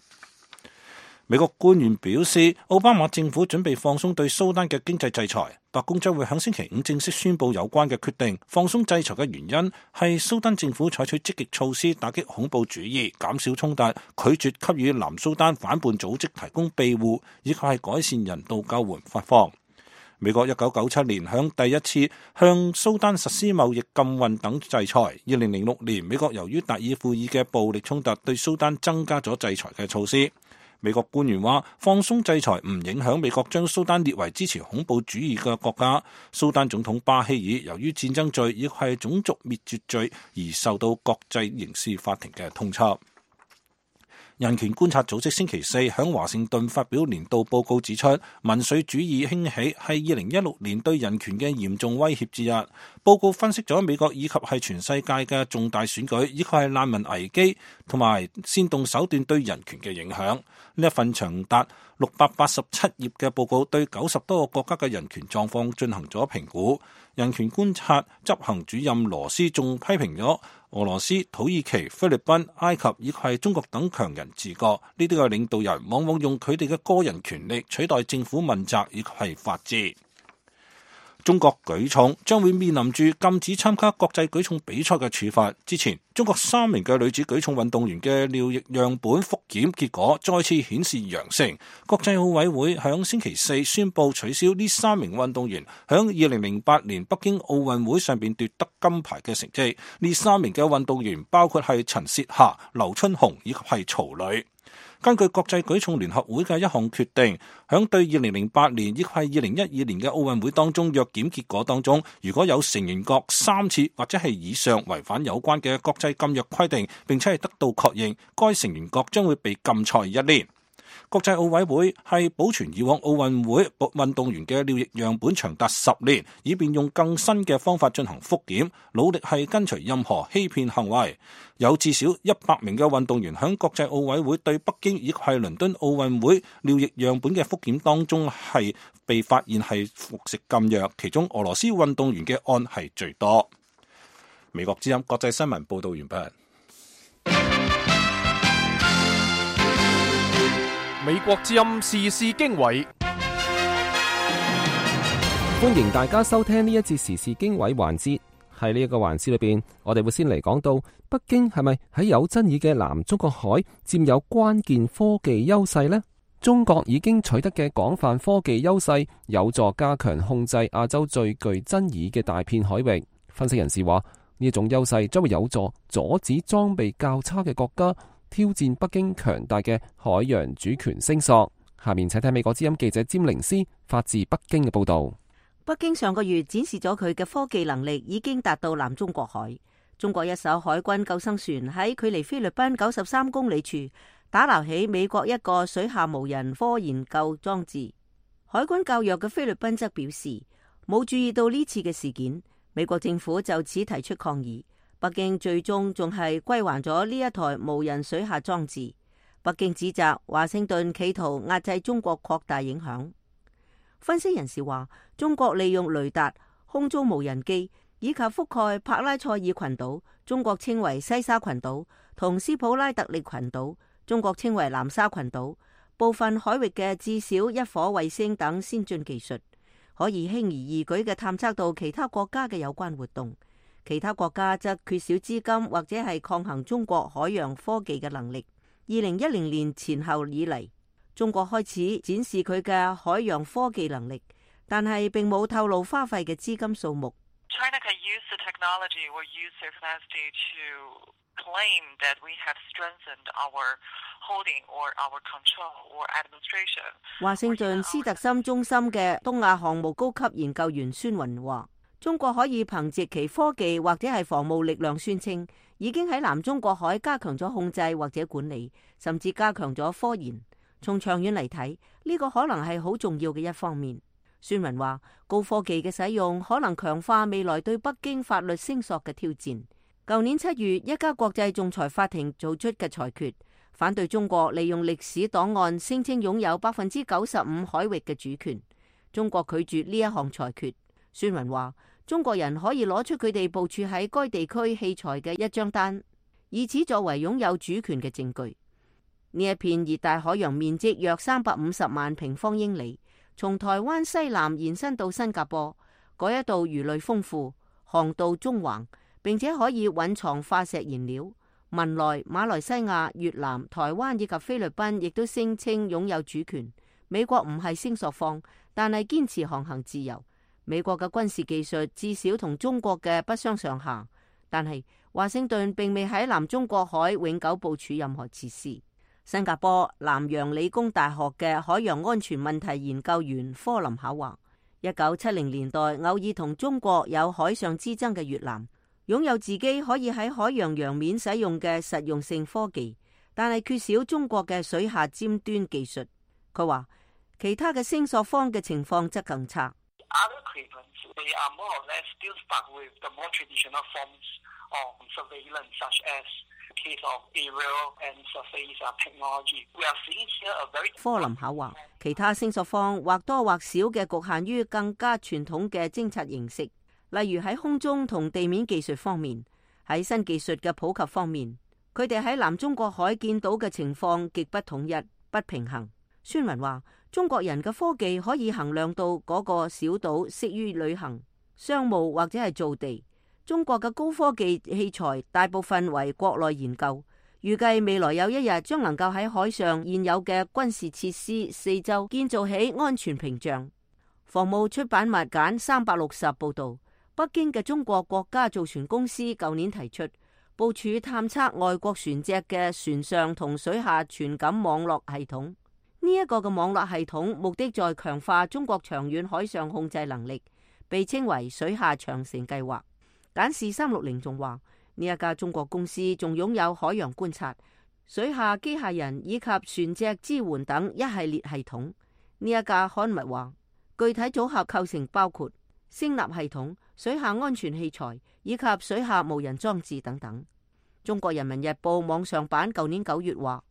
美國官員表示，奧巴馬政府準備放鬆對蘇丹嘅經濟制裁。白宮將會喺星期五正式宣布有關嘅決定。放鬆制裁嘅原因係蘇丹政府採取積極措施打擊恐怖主義、減少衝突、拒絕給予南蘇丹反叛組織提供庇護，以及係改善人道救援發放。美國一九九七年向第一次向蘇丹實施貿易禁運等制裁。二零零六年，美國由於達爾富爾嘅暴力衝突，對蘇丹增加咗制裁嘅措施。美國官員話，放鬆制裁唔影響美國將蘇丹列為支持恐怖主義嘅國家。蘇丹總統巴希爾由於戰爭罪亦係種族滅絕罪而受到國際刑事法庭嘅通緝。人權觀察組織星期四響華盛頓發表年度報告，指出民粹主義興起係二零一六年對人權嘅嚴重威脅之一。報告分析咗美國以及係全世界嘅重大選舉，以及係難民危機同埋煽動手段對人權嘅影響。呢一份長達六百八十七頁嘅報告對九十多個國家嘅人權狀況進行咗評估。人權觀察執行主任羅斯仲批評咗俄羅斯、土耳其、菲律賓、埃及以及係中國等強人治國，呢啲嘅領導人往往用佢哋嘅個人權力取代政府問責以及係法治。中國舉重將會面臨住禁止參加國際舉重比賽嘅處罰。之前，中國三名嘅女子舉重運動員嘅尿液樣本複檢結果再次顯示陽性。國際奧委會響星期四宣布取消呢三名運動員響二零零八年北京奧運會上邊奪得金牌嘅成績。呢三名嘅運動員包括係陳燮霞、劉春紅以及係曹磊。根據國際舉重聯合會嘅一項決定，響對二零零八年亦係二零一二年嘅奧運會當中藥檢結果當中，如果有成員國三次或者係以上違反有關嘅國際禁藥規定，並且係得到確認，該成員國將會被禁賽一年。國際奧委會係保存以往奧運會運動員嘅尿液樣本長達十年，以便用更新嘅方法進行復檢，努力係根除任何欺騙行為。有至少一百名嘅運動員響國際奧委會對北京以及係倫敦奧運會尿液樣本嘅復檢當中係被發現係服食禁藥，其中俄羅斯運動員嘅案係最多。美國之音國際新聞報道完畢。美國之音時事經緯，歡迎大家收聽呢一節時事經緯環節。喺呢一個環節裏邊，我哋會先嚟講到北京係咪喺有爭議嘅南中國海佔有關鍵科技優勢呢？中國已經取得嘅廣泛科技優勢，有助加強控制亞洲最具爭議嘅大片海域。分析人士話，呢一種優勢將會有助阻止裝備較差嘅國家挑戰北京強大嘅海洋主權聲索。下面請睇美國之音記者詹寧斯發自北京嘅報道。北京上個月展示咗佢嘅科技能力已經達到南中國海。中國一艘海軍救生船喺距離菲律賓九十三公里處打撈起美國一個水下無人科研究裝置。海軍較弱嘅菲律賓則表示冇注意到呢次嘅事件，美國政府就此提出抗議。北京最終仲係歸還咗呢一台無人水下裝置。北京指責華盛頓企圖壓制中國擴大影響。分析人士話，中國利用雷達、空中無人機以及覆蓋帕拉塞爾群島，中國稱為西沙群島，同斯普拉特利群島，中國稱為南沙群島，部分海域嘅至少一顆衛星等先進技術，可以輕而易舉嘅探測到其他國家嘅有關活動。其他國家則缺少資金或者係抗衡中國海洋科技嘅能力。二零一零年前後以嚟，中國開始展示佢嘅海洋科技能力，但係並冇透露花費嘅資金數目。China can use the technology or use their capacity to claim that we have strengthened our holding or our control or administration。華盛頓斯特森中心嘅東亞項目高級研究員孫雲話，中國可以憑借其科技或者係防務力量宣稱，已經喺南中國海加強咗控制或者管理，甚至加強咗科研。從長遠嚟睇，呢個可能係好重要嘅一方面。孫雲話，高科技嘅使用可能強化未來對北京法律聲索嘅挑戰。舊年七月，一家國際仲裁法庭做出嘅裁決，反對中國利用歷史檔案聲稱擁有百分之九十五海域嘅主權。中國拒絕呢一項裁決。孫雲話，中國人可以攞出佢哋部署喺該地區器材嘅一張單，以此作為擁有主權嘅證據。呢一片熱帶海洋面積約三百五十萬平方英里，從台灣西南延伸到新加坡，嗰一度魚類豐富，航道縱橫，並且可以蘊藏化石燃料。文萊、馬來西亞、越南、台灣以及菲律賓亦都聲稱擁有主權。美國唔係聲索方，但係堅持航行自由。美國嘅軍事技術至少同中國嘅不相上下，但係華盛頓並未喺南中國海永久部署任何設施。新加坡南洋理工大學嘅海洋安全問題研究員科林考話，一九七零年代偶爾同中國有海上之爭嘅越南，擁有自己可以喺海洋洋面使用嘅實用性科技，但係缺少中國嘅水下尖端技術。佢話其他嘅聲索方嘅情況則更差。Other claimants, they are more or less still stuck with the more traditional forms of surveillance, such as the case of aerial and surface technology. We are seeing here a very... 科林考話，其他聲索方或多或少嘅局限於更加傳統嘅偵察形式，例如喺空中同地面技術方面，喺新技術嘅普及方面，佢哋喺南中國海見到嘅情況極不統一、不平衡。孫雲話，中國人嘅科技可以衡量到嗰個小島適於旅行、商務或者係造地。中國嘅高科技器材大部分為國內研究，預計未來有一日將能夠喺海上現有嘅軍事設施四周建造起安全屏障。防務出版物簡三百六十報道，北京嘅中國國家造船公司舊年提出部署探測外國船隻嘅船上同水下傳感網絡系統。呢一個嘅網絡系統目的在強化中國長遠海上控制能力，被稱為水下長城計劃。簡視三六零仲話，呢一家中國公司仲擁有海洋觀察，水下機械人以及船隻支援等一系列系統。呢一架刊物話，具體組合構成包括聲納系統、水下安全器材以及水下無人裝置等等。中國人民日報網上版舊年九月話，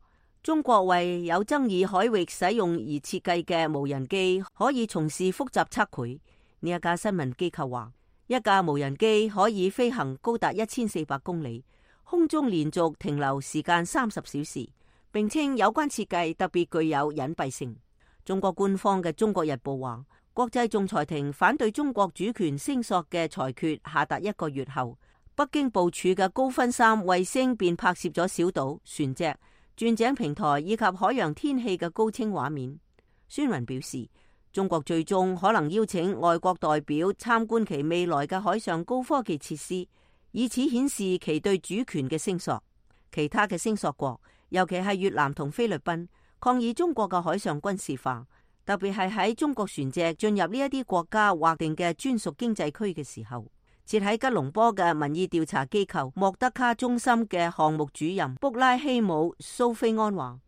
中國為有爭議海域使用而設計嘅無人機可以從事複雜測繪。呢一家新聞機構話，一架無人機可以飛行高達一千四百公里，空中連續停留時間三十小時，並稱有關設計特別具有隱蔽性。中國官方嘅《中國日報》話，國際仲裁庭反對中國主權聲索嘅裁決下達一個月後，北京部署嘅高分三衛星便拍攝咗小島、船隻、鑽井平台以及海洋天氣嘅高清畫面。孫雲表示，中國最終可能邀請外國代表參觀其未來嘅海上高科技設施，以此顯示其對主權嘅聲索。其他嘅聲索國，尤其係越南同菲律賓，抗議中國嘅海上軍事化，特別係喺中國船隻進入呢一啲國家劃定嘅專屬經濟區嘅時候。設喺吉隆坡嘅民意調查機構莫德卡中心嘅項目主任卜拉希姆蘇菲安話，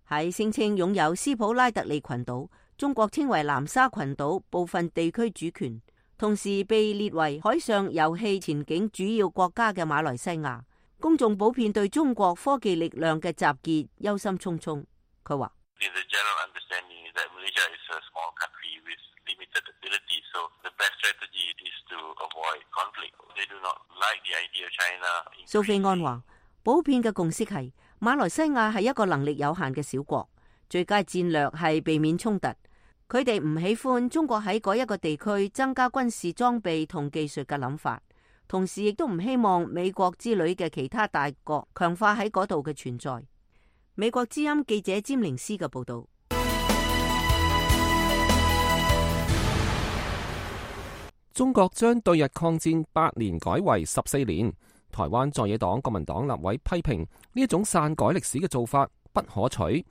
喺聲稱擁有斯普拉特利群島，中國稱為南沙群島部分地區主權，同時被列為海上油氣前景主要國家嘅馬來西亞，公眾普遍對中國科技力量嘅集結憂心忡忡。佢話，蘇菲安話，普遍嘅共識係馬來西亞係一個能力有限嘅小國，最佳戰略係避免衝突。佢哋唔喜歡中國喺嗰一個地區增加軍事裝備同技術嘅諗法，同時亦都唔希望美國之類嘅其他大國強化喺嗰度嘅存在。美國之音記者詹寧斯嘅報道。中國將對日抗戰八年改為十四年，台灣在野黨國民黨立委批評呢一種篡改歷史嘅做法不可取。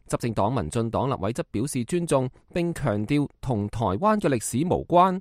執政黨民進黨立委則表示尊重，並強調同台灣嘅歷史無關。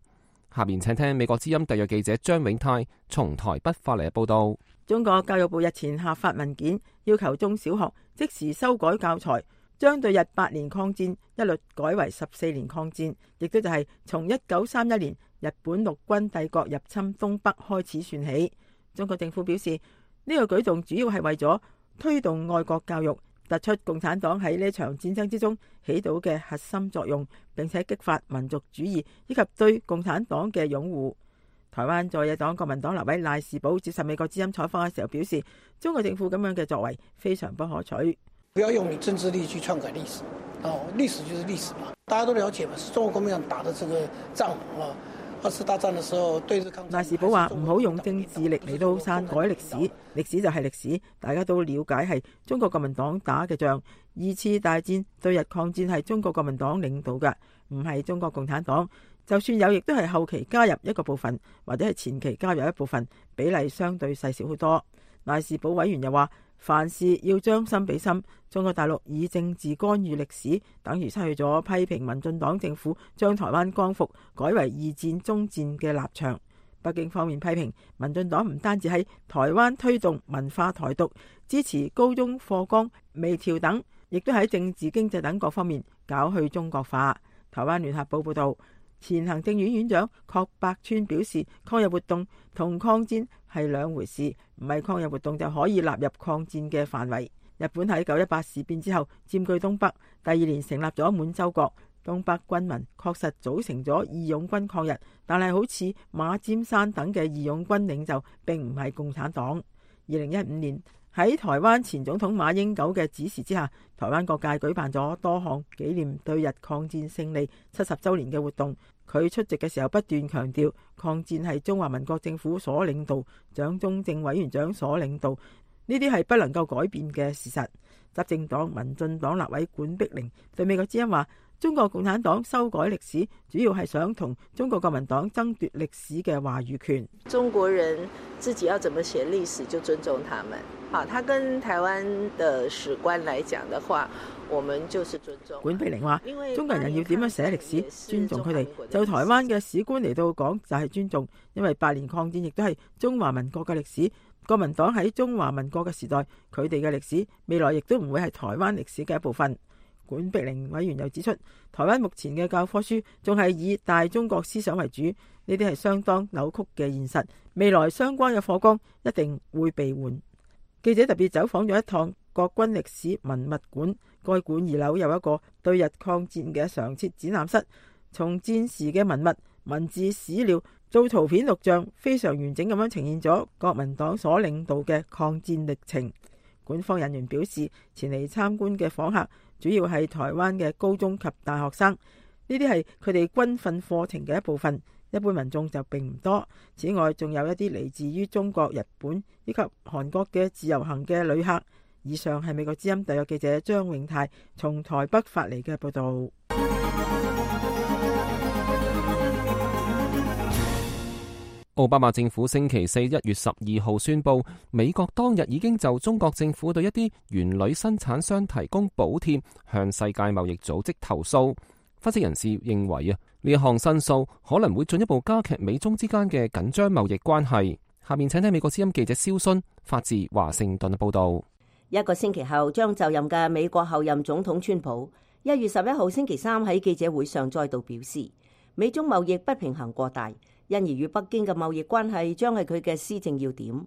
下面請聽美國之音特約記者張永泰從台北發嚟嘅報道。中國教育部日前下發文件，要求中小學即時修改教材，將對日八年抗戰一律改為十四年抗戰，亦都就係從一九三一年日本陸軍帝國入侵東北開始算起。中國政府表示，呢個舉動主要係為咗推動愛國教育，突出共產黨喺呢場戰爭之中起到嘅核心作用，並且激發民族主義以及對共產黨嘅擁護。台灣在野黨國民黨立委賴士葆接受美國之音採訪嘅時候表示，中國政府咁樣嘅作為非常不可取。不要用你政治力去篡改歷史，哦，歷史就是歷史嘛，大家都了解嘛，是中國國民黨打的這個仗啊。二次大戰的時候，對日抗戰。賴士葆話唔好用政治力嚟到篡改歷史，歷史就係歷史，大家都了解係中國國民黨打嘅仗。二次大戰對日抗戰係中國國民黨領導嘅，唔係中國共產黨。就算有，亦都係後期加入一個部分，或者係前期加入一部分，比例相對細小好多。賴士葆委員又話，凡事要將心比心，中國大陸以政治干預歷史，等於失去咗批評民進黨政府將台灣光復改為二戰終戰嘅立場。北京方面批評民進黨唔單止喺台灣推動文化台獨，支持高中課綱微調等，亦都喺政治經濟等各方面搞去中國化。台灣聯合報報道，前行政院院長郝柏村表示，抗日活動同抗戰係兩回事，唔係抗日活動就可以納入抗戰嘅範圍。日本喺九一八事變之後佔據東北，第二年成立咗滿洲國，東北軍民確實組成咗義勇軍抗日，但係好似馬占山等嘅義勇軍領袖並唔係共產黨。二零一五年喺台灣前總統馬英九嘅指示之下，台灣各界舉辦咗多項紀念對日抗戰勝利七十週年嘅活動。佢出席嘅時候不斷強調，抗戰係中華民國政府所領導，蔣中正委員長所領導，呢啲係不能夠改變嘅事實。執政黨民進黨立委管碧玲對美國之音話，中國共產黨修改歷史，主要係想同中國國民黨爭奪歷史嘅話語權。中國人自己要怎麼寫歷史，就尊重他們。好，他跟台灣的史觀來講的話，我們就是尊重。管碧玲話，中國人要點樣寫歷史，尊重佢哋。就台灣嘅史觀嚟到講，就係尊重，因為八年抗戰亦都係中華民國嘅歷史。國民黨喺中華民國嘅時代，佢哋嘅歷史未來亦都唔會係台灣歷史嘅一部分。管碧玲委員又指出，台灣目前嘅教科書仲係以大中國思想為主，呢啲係相當扭曲嘅現實。未來相關嘅課綱一定會被換。記者特別走訪咗一趟國軍歷史文物館，該館二樓有一個對日抗戰嘅常設展覽室，從戰時嘅文物、文字、史料做圖片錄像，非常完整咁樣呈現咗國民黨所領導嘅抗戰歷程。館方人員表示，前嚟參觀嘅訪客主要係台灣嘅高中及大學生，呢啲係佢哋軍訓課程嘅一部分，一般民眾就並唔多。此外，仲有一啲嚟自於中國、日本以及韓國嘅自由行嘅旅客。以上係美國之音特約記者張永泰從台北發嚟嘅報道。奧巴馬政府星期四一月十二號宣布，美國當日已經就中國政府對一啲原鋁生產商提供補貼向世界貿易組織投訴。分析人士認為啊，呢一項申訴可能會進一步加劇美中之間嘅緊張貿易關係。下面請聽美國之音記者蕭순發自華盛頓嘅報道。一個星期後將就任嘅美國後任總統川普，一月十一號星期三喺記者會上再度表示，美中貿易不平衡過大，因而與北京嘅貿易關係將係佢嘅施政要點。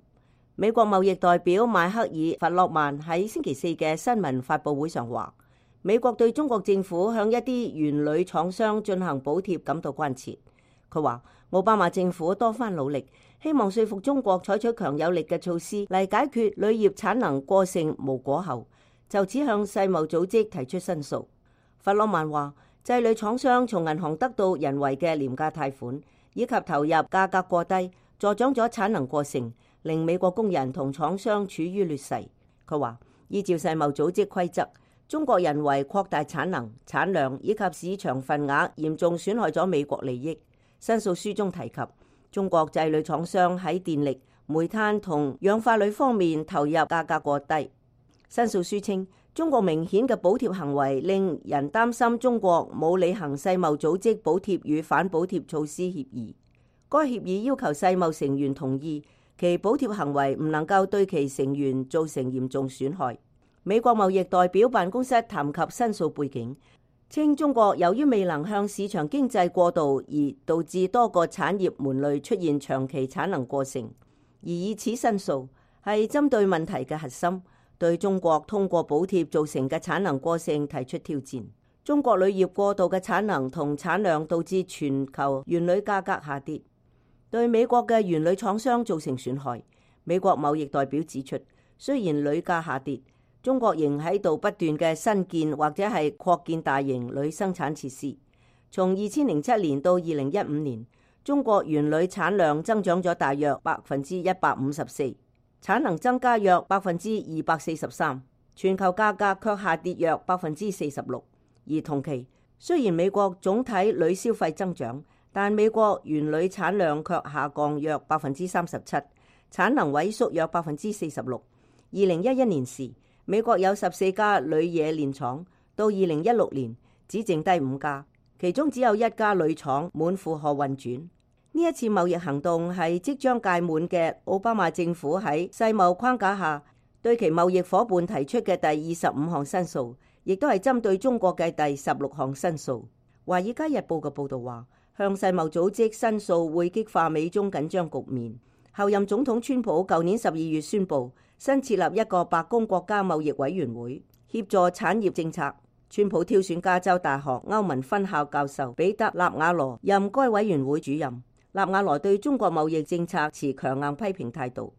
美國貿易代表邁克爾·弗洛曼喺星期四嘅新聞發佈會上話，美國對中國政府向一啲原鋁廠商進行補貼感到關切。佢話，奧巴馬政府多番努力，希望說服中國採取強有力嘅措施嚟解決鋁業產能過剩無果後，就此向世貿組織提出申訴。弗洛曼話，製鋁廠商從銀行得到人為嘅廉價貸款，以及投入價格過低，助長咗產能過剩，令美國工人同廠商處於劣勢。佢話，依照世貿組織規則，中國人為擴大產能、產量以及市場份額，嚴重損害咗美國利益。申訴書中提及，中國製鋁廠商喺電力、煤炭同氧化鋁方面投入價格過低。申訴書稱，中國明顯嘅補貼行為令人擔心中國冇履行世貿組織補貼與反補貼措施協議。該協議要求世貿成員同意其補貼行為唔能夠對其成員造成嚴重損害。美國貿易代表辦公室談及申訴背景，稱中國由於未能向市場經濟過渡，而導致多個產業門類出現長期產能過剩，而以此申訴係針對問題嘅核心，對中國通過補貼造成嘅產能過剩提出挑戰。中國鋁業過度嘅產能同產量導致全球原鋁價格下跌，對美國嘅原鋁廠商造成損害。美國貿易代表指出，雖然鋁價下跌，中國仍喺度不斷嘅新建或者係擴建大型鋁生產設施。從二千零七年到二零一五年，中國原鋁產量增長咗大約百分之一百五十四，產能增加約百分之二百四十三，全球價格卻下跌約百分之四十六。而同期，雖然美國總體鋁消費增長，但美國原鋁產量卻下降約百分之三十七，產能萎縮約百分之四十六。二零一一年時，美國有十四家鋁冶煉廠，到二零一六年只剩低五家，其中只有一家鋁廠滿負荷運轉。呢一次貿易行動係即將屆滿嘅奧巴馬政府喺世貿框架下對其貿易夥伴提出嘅第二十五項申訴，亦都係針對中國嘅第十六項申訴。華爾街日報嘅報導話，向世貿組織申訴會激化美中緊張局面。後任總統川普舊年十二月宣布新設立一個白宮國家貿易委員會，協助產業政策。川普挑選加州大學歐文分校教授彼得納瓦羅任該委員會主任。納瓦羅對中國貿易政策持強硬批評態度。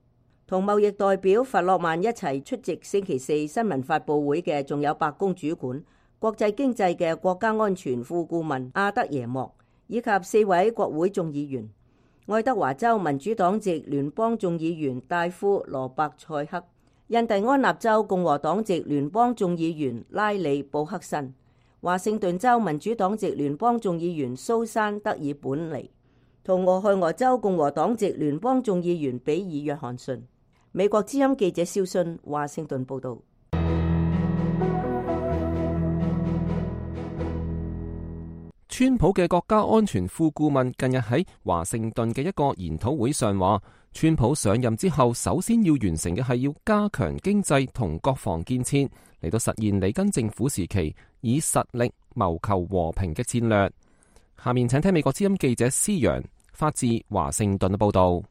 同貿易代表弗洛曼一齊出席星期四新聞發佈會嘅，仲有白宮主管國際經濟嘅國家安全副顧問阿德耶莫，以及四位國會眾議員。愛德華州民主黨籍聯邦眾議員戴夫羅伯塞克，印第安納州共和黨籍聯邦眾議員拉里布克森，華盛頓州民主黨籍聯邦眾議員蘇珊德爾本尼，同俄亥俄州共和黨籍聯邦眾議員比爾約翰遜。美國之音記者蕭순華盛頓報道。川普嘅國家安全副顧問近日喺華盛頓嘅一個研討會上話，川普上任之後，首先要完成嘅係要加強經濟同國防建設，嚟到實現里根政府時期以實力謀求和平嘅戰略。下面請聽美國之音記者施陽發自華盛頓嘅報道。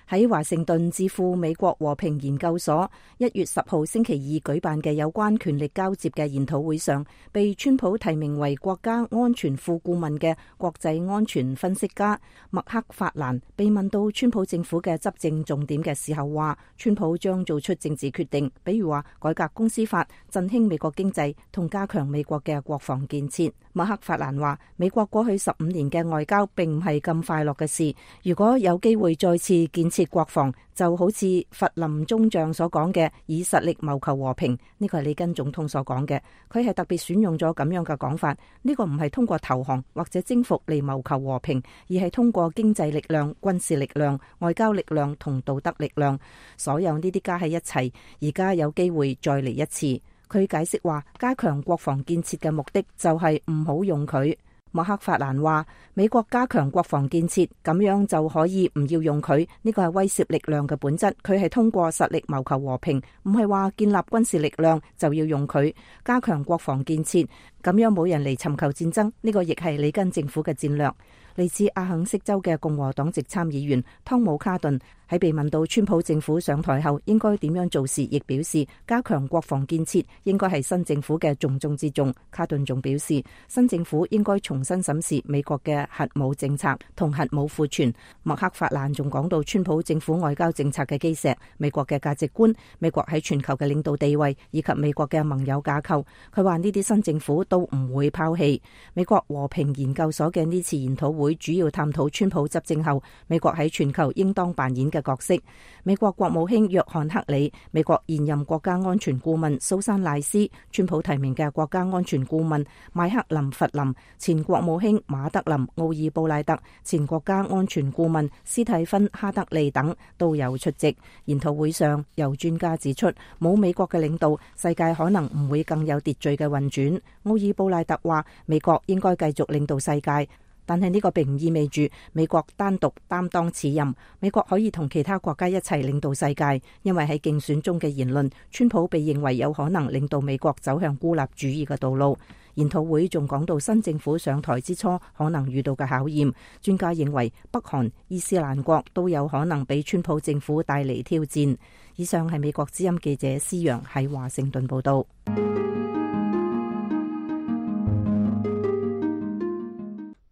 喺華盛頓智庫美國和平研究所一月十號星期二舉辦嘅有關權力交接嘅研討會上，被川普提名為國家安全副顧問嘅國際安全分析家麥克法蘭被問到川普政府嘅執政重點嘅時候，話川普將做出政治決定，比如話改革公司法、振興美國經濟同加強美國嘅國防建設。麥克法蘭話，美國過去十五年嘅外交並唔係咁快樂嘅事，如果有機會再次建設國防，就好似佛林中將所講嘅以實力謀求和平，呢個係里根總統所講嘅，佢係特別選用咗咁樣嘅講法。呢個唔係通過投降或者征服嚟謀求和平，而係通過經濟力量、軍事力量、外交力量同道德力量，所有呢啲加喺一齊，而家有機會再嚟一次。佢解釋話，加強國防建設嘅目的就係唔好用佢。麥克法蘭話，美國加強國防建設，咁樣就可以唔要用佢，呢個係威懾力量嘅本質。佢係通過實力謀求和平，唔係話建立軍事力量就要用佢。加強國防建設，咁樣冇人嚟尋求戰爭，呢個亦係里根政府嘅戰略。嚟自阿肯色州嘅共和黨籍參議員湯姆卡頓喺被問到川普政府上台後應該點樣做時，亦表示加強國防建設應該係新政府嘅重中之重。卡頓仲表示，新政府應該重新審視美國嘅核武政策同核武庫存。麥克法蘭仲講到川普政府外交政策嘅基石、美國嘅價值觀、美國喺全球嘅領導地位以及美國嘅盟友架構。佢話呢啲新政府都唔會拋棄。美國和平研究所嘅呢次研討會會主要探討川普執政後美國喺全球應當扮演嘅角色。美國國務卿約翰克里、美國現任國家安全顧問蘇珊賴斯、川普提名嘅國家安全顧問邁克林弗林、前國務卿馬德林奧爾布賴特、前國家安全顧問斯蒂芬哈德利等都有出席。研討會上，有專家指出，冇美國嘅領導，世界可能唔會更有秩序嘅運轉。奧爾布賴特話，美國應該繼續領導世界。但係呢個並唔意味住美國單獨擔當此任，美國可以同其他國家一齊領導世界，因為喺競選中嘅言論，川普被認為有可能領導美國走向孤立主義嘅道路。研討會仲講到新政府上台之初可能遇到嘅考驗，專家認為北韓、伊斯蘭國都有可能俾川普政府帶嚟挑戰。以上係美國之音記者施陽喺華盛頓報道。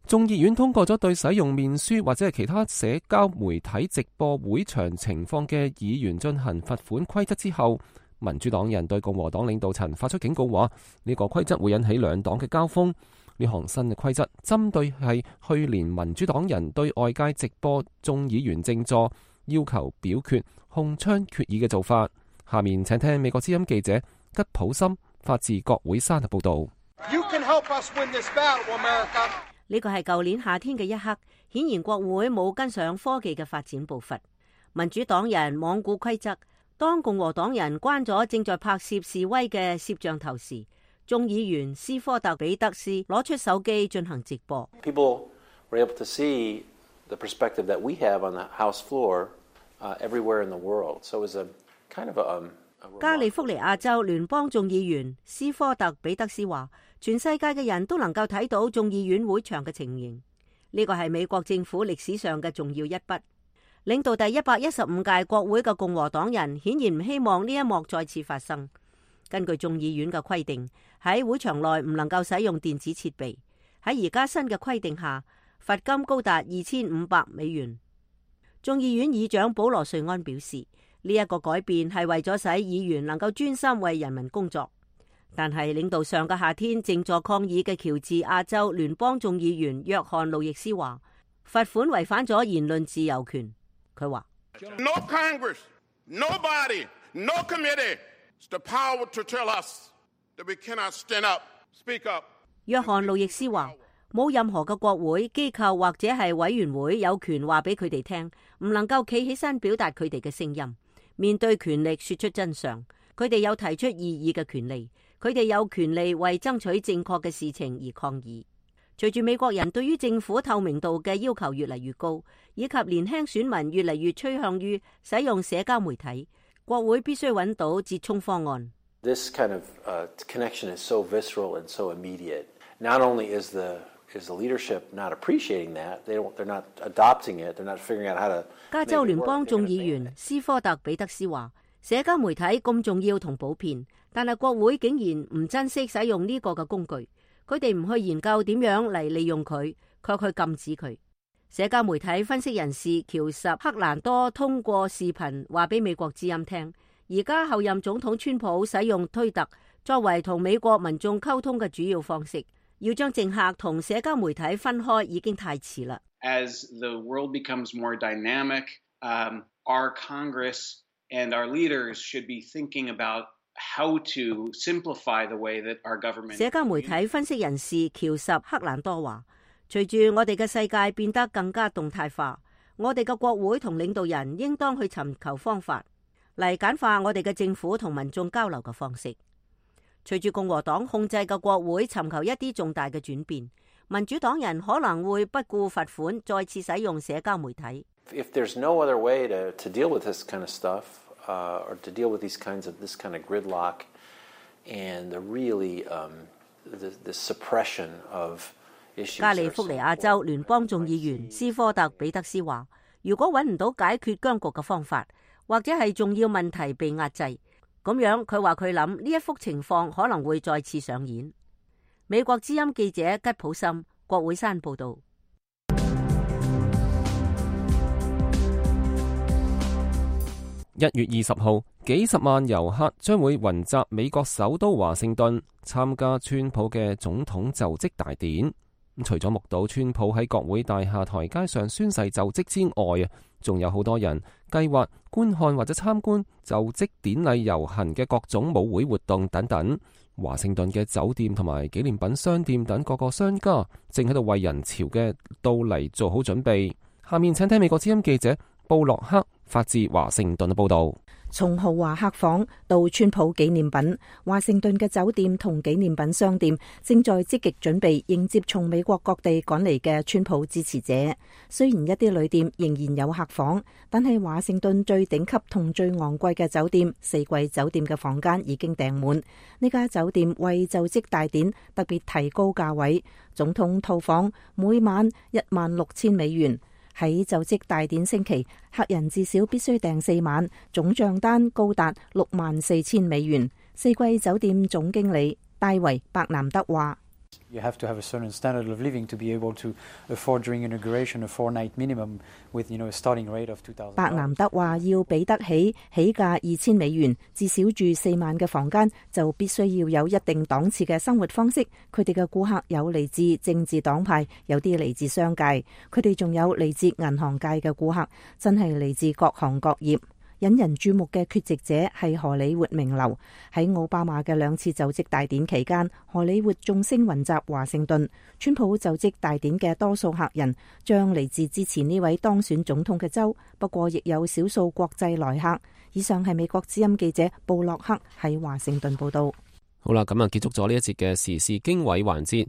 眾議院通過咗對使用面書或者係其他社交媒體直播會場情況嘅議員進行罰款規則之後，民主黨人對共和黨領導層發出警告，話呢個規則會引起兩黨嘅交鋒。呢項新嘅規則針對係去年民主黨人對外界直播眾議員靜坐要求表決控槍決議嘅做法。下面請聽美國之音記者吉普森發自國會山嘅報道。You can help us win this battle, America. 呢個係舊年夏天嘅一刻，顯然國會冇跟上科技嘅發展步伐。民主黨人罔顧規則，當共和黨人關咗正在拍攝示威嘅攝像頭時，眾議員斯科特比德斯攞出手機進行直播。People were able to see the perspective that we have on the House floor, uh, everywhere in the world. So it was a kind of a, um, a 加利福尼亞州聯邦眾議員斯科特比德斯話，全世界嘅人都能夠睇到眾議院會場嘅情形，呢個係美國政府歷史上嘅重要一筆。領導第一百一十五屆國會嘅共和黨人顯然唔希望呢一幕再次發生。根據眾議院嘅規定，喺會場內唔能夠使用電子設備。喺而家新嘅規定下，罰金高達二千五百美元。眾議院議長保羅瑞安表示，呢一個改變係為咗使議員能夠專心為人民工作。但係領導上個夏天靜坐抗議嘅喬治亞州聯邦眾議員約翰路易斯話，罰款違反咗言論自由權。佢話 No Congress, nobody, no committee has the power to tell us that we cannot stand up, speak up. 約翰路易斯話，冇任何嘅國會機構或者係委員會有權話俾佢哋聽，唔能夠企起身表達佢哋嘅聲音，面對權力說出真相。佢哋有提出異議嘅權利，佢哋有權利為爭取正確嘅事情而抗議。隨住美國人對於政府透明度嘅要求越嚟越高，以及年輕選民越嚟越趨向於使用社交媒體，國會必須揾到折衷方案。This kind of uh, connection is so visceral and so immediate. Not only is the is the leadership not appreciating that, they don't, they're not adopting it, they're not figuring out how to. 加州聯邦眾議員斯科特彼得斯話：社交媒體咁重要同普遍，但係國會竟然唔珍惜使用呢個嘅工具。佢哋唔去研究點樣嚟利用佢，卻去禁止佢。社交媒體分析人士喬什克蘭多通過視頻話俾美國之音聽，而家後任總統川普使用推特作為同美國民眾溝通嘅主要方式，要將政客同社交媒體分開已經太遲啦。As the world becomes more dynamic, um, our Congress and our leaders should be thinking about how to simplify the way that our government. 社交媒體分析人士喬什克蘭多話，隨住我哋嘅世界變得更加動態化，我哋嘅國會同領導人應當去尋求方法嚟簡化我哋嘅政府同民眾交流嘅方式。隨住共和黨控制嘅國會尋求一啲重大嘅轉變，民主黨人可能會不顧罰款，再次使用社交媒體。If there's no other way to, to deal with this kind of stuff, uh, or to deal with these kinds of this kind of gridlock and the really um, the, the suppression of issues. 加利福尼亞州聯邦眾議員斯科特彼得斯話：如果揾唔到解決僵局嘅方法，或者係重要問題被壓制，咁樣佢話佢諗呢一幅情況可能會再次上演。美國之音記者吉普森，國會山報道。一月二十號，幾十萬遊客將會雲集美國首都華盛頓，參加川普嘅總統就職大典。除咗目睹川普喺國會大廈台階上宣誓就職之外啊，仲有好多人計劃觀看或者參觀就職典禮遊行嘅各種舞會活動等等。華盛頓嘅酒店同埋紀念品商店等各個商家正喺度為人潮嘅到嚟做好準備。下面請聽美國之音記者布洛克發自華盛頓嘅報道。從豪華客房到川普紀念品，華盛頓嘅酒店同紀念品商店正在積極準備迎接從美國各地趕嚟嘅川普支持者。雖然一啲旅店仍然有客房，但係華盛頓最頂級同最昂貴嘅酒店四季酒店嘅房間已經訂滿。呢家酒店為就職大典特別提高價位，總統套房每晚一萬六千美元。喺就職大典星期，客人至少必須訂四晚，總賬單高達六萬四千美元。四季酒店總經理戴維伯南德話：You have to have a certain standard of living to be able to afford during inauguration a four-night minimum with, you know, a starting rate of two thousand dollars. 伯南德話：要俾得起起價二千美元，至少住四晚嘅房間，就必須要有一定檔次嘅生活方式。佢哋嘅顧客有嚟自政治黨派，有啲嚟自商界，佢哋仲有嚟自銀行界嘅顧客，真係嚟自各行各業。引人注目嘅缺席者係荷里活名流。喺奧巴馬嘅兩次就職大典期間，荷里活眾星雲集華盛頓。川普就職大典嘅多數客人將嚟自支持呢位當選總統嘅州，不過亦有少數國際來客。以上係美國之音記者布洛克喺華盛頓報道。好啦，咁啊結束咗呢一節嘅時事經緯環節，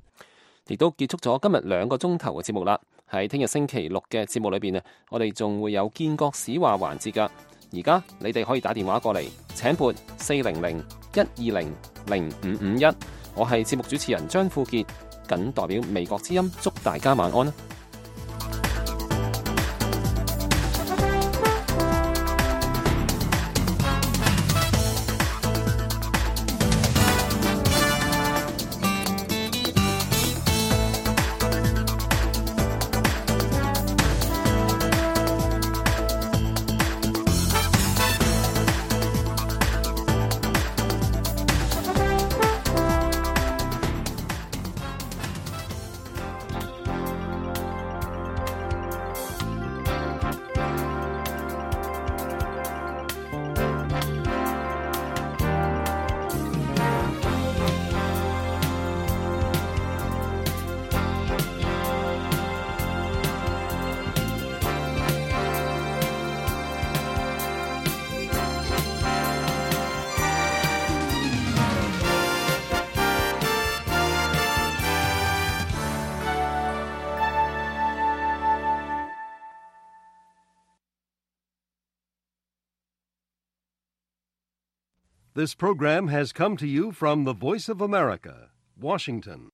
亦都結束咗今日兩個鐘頭嘅節目啦。喺聽日星期六嘅節目裏邊啊，我哋仲會有建國史話環節噶。而家你哋可以打電話過嚟，請撥四零零一二零零五五一。我係節目主持人張富傑，謹代表美國之音祝大家晚安啦。This program has come to you from the Voice of America, Washington.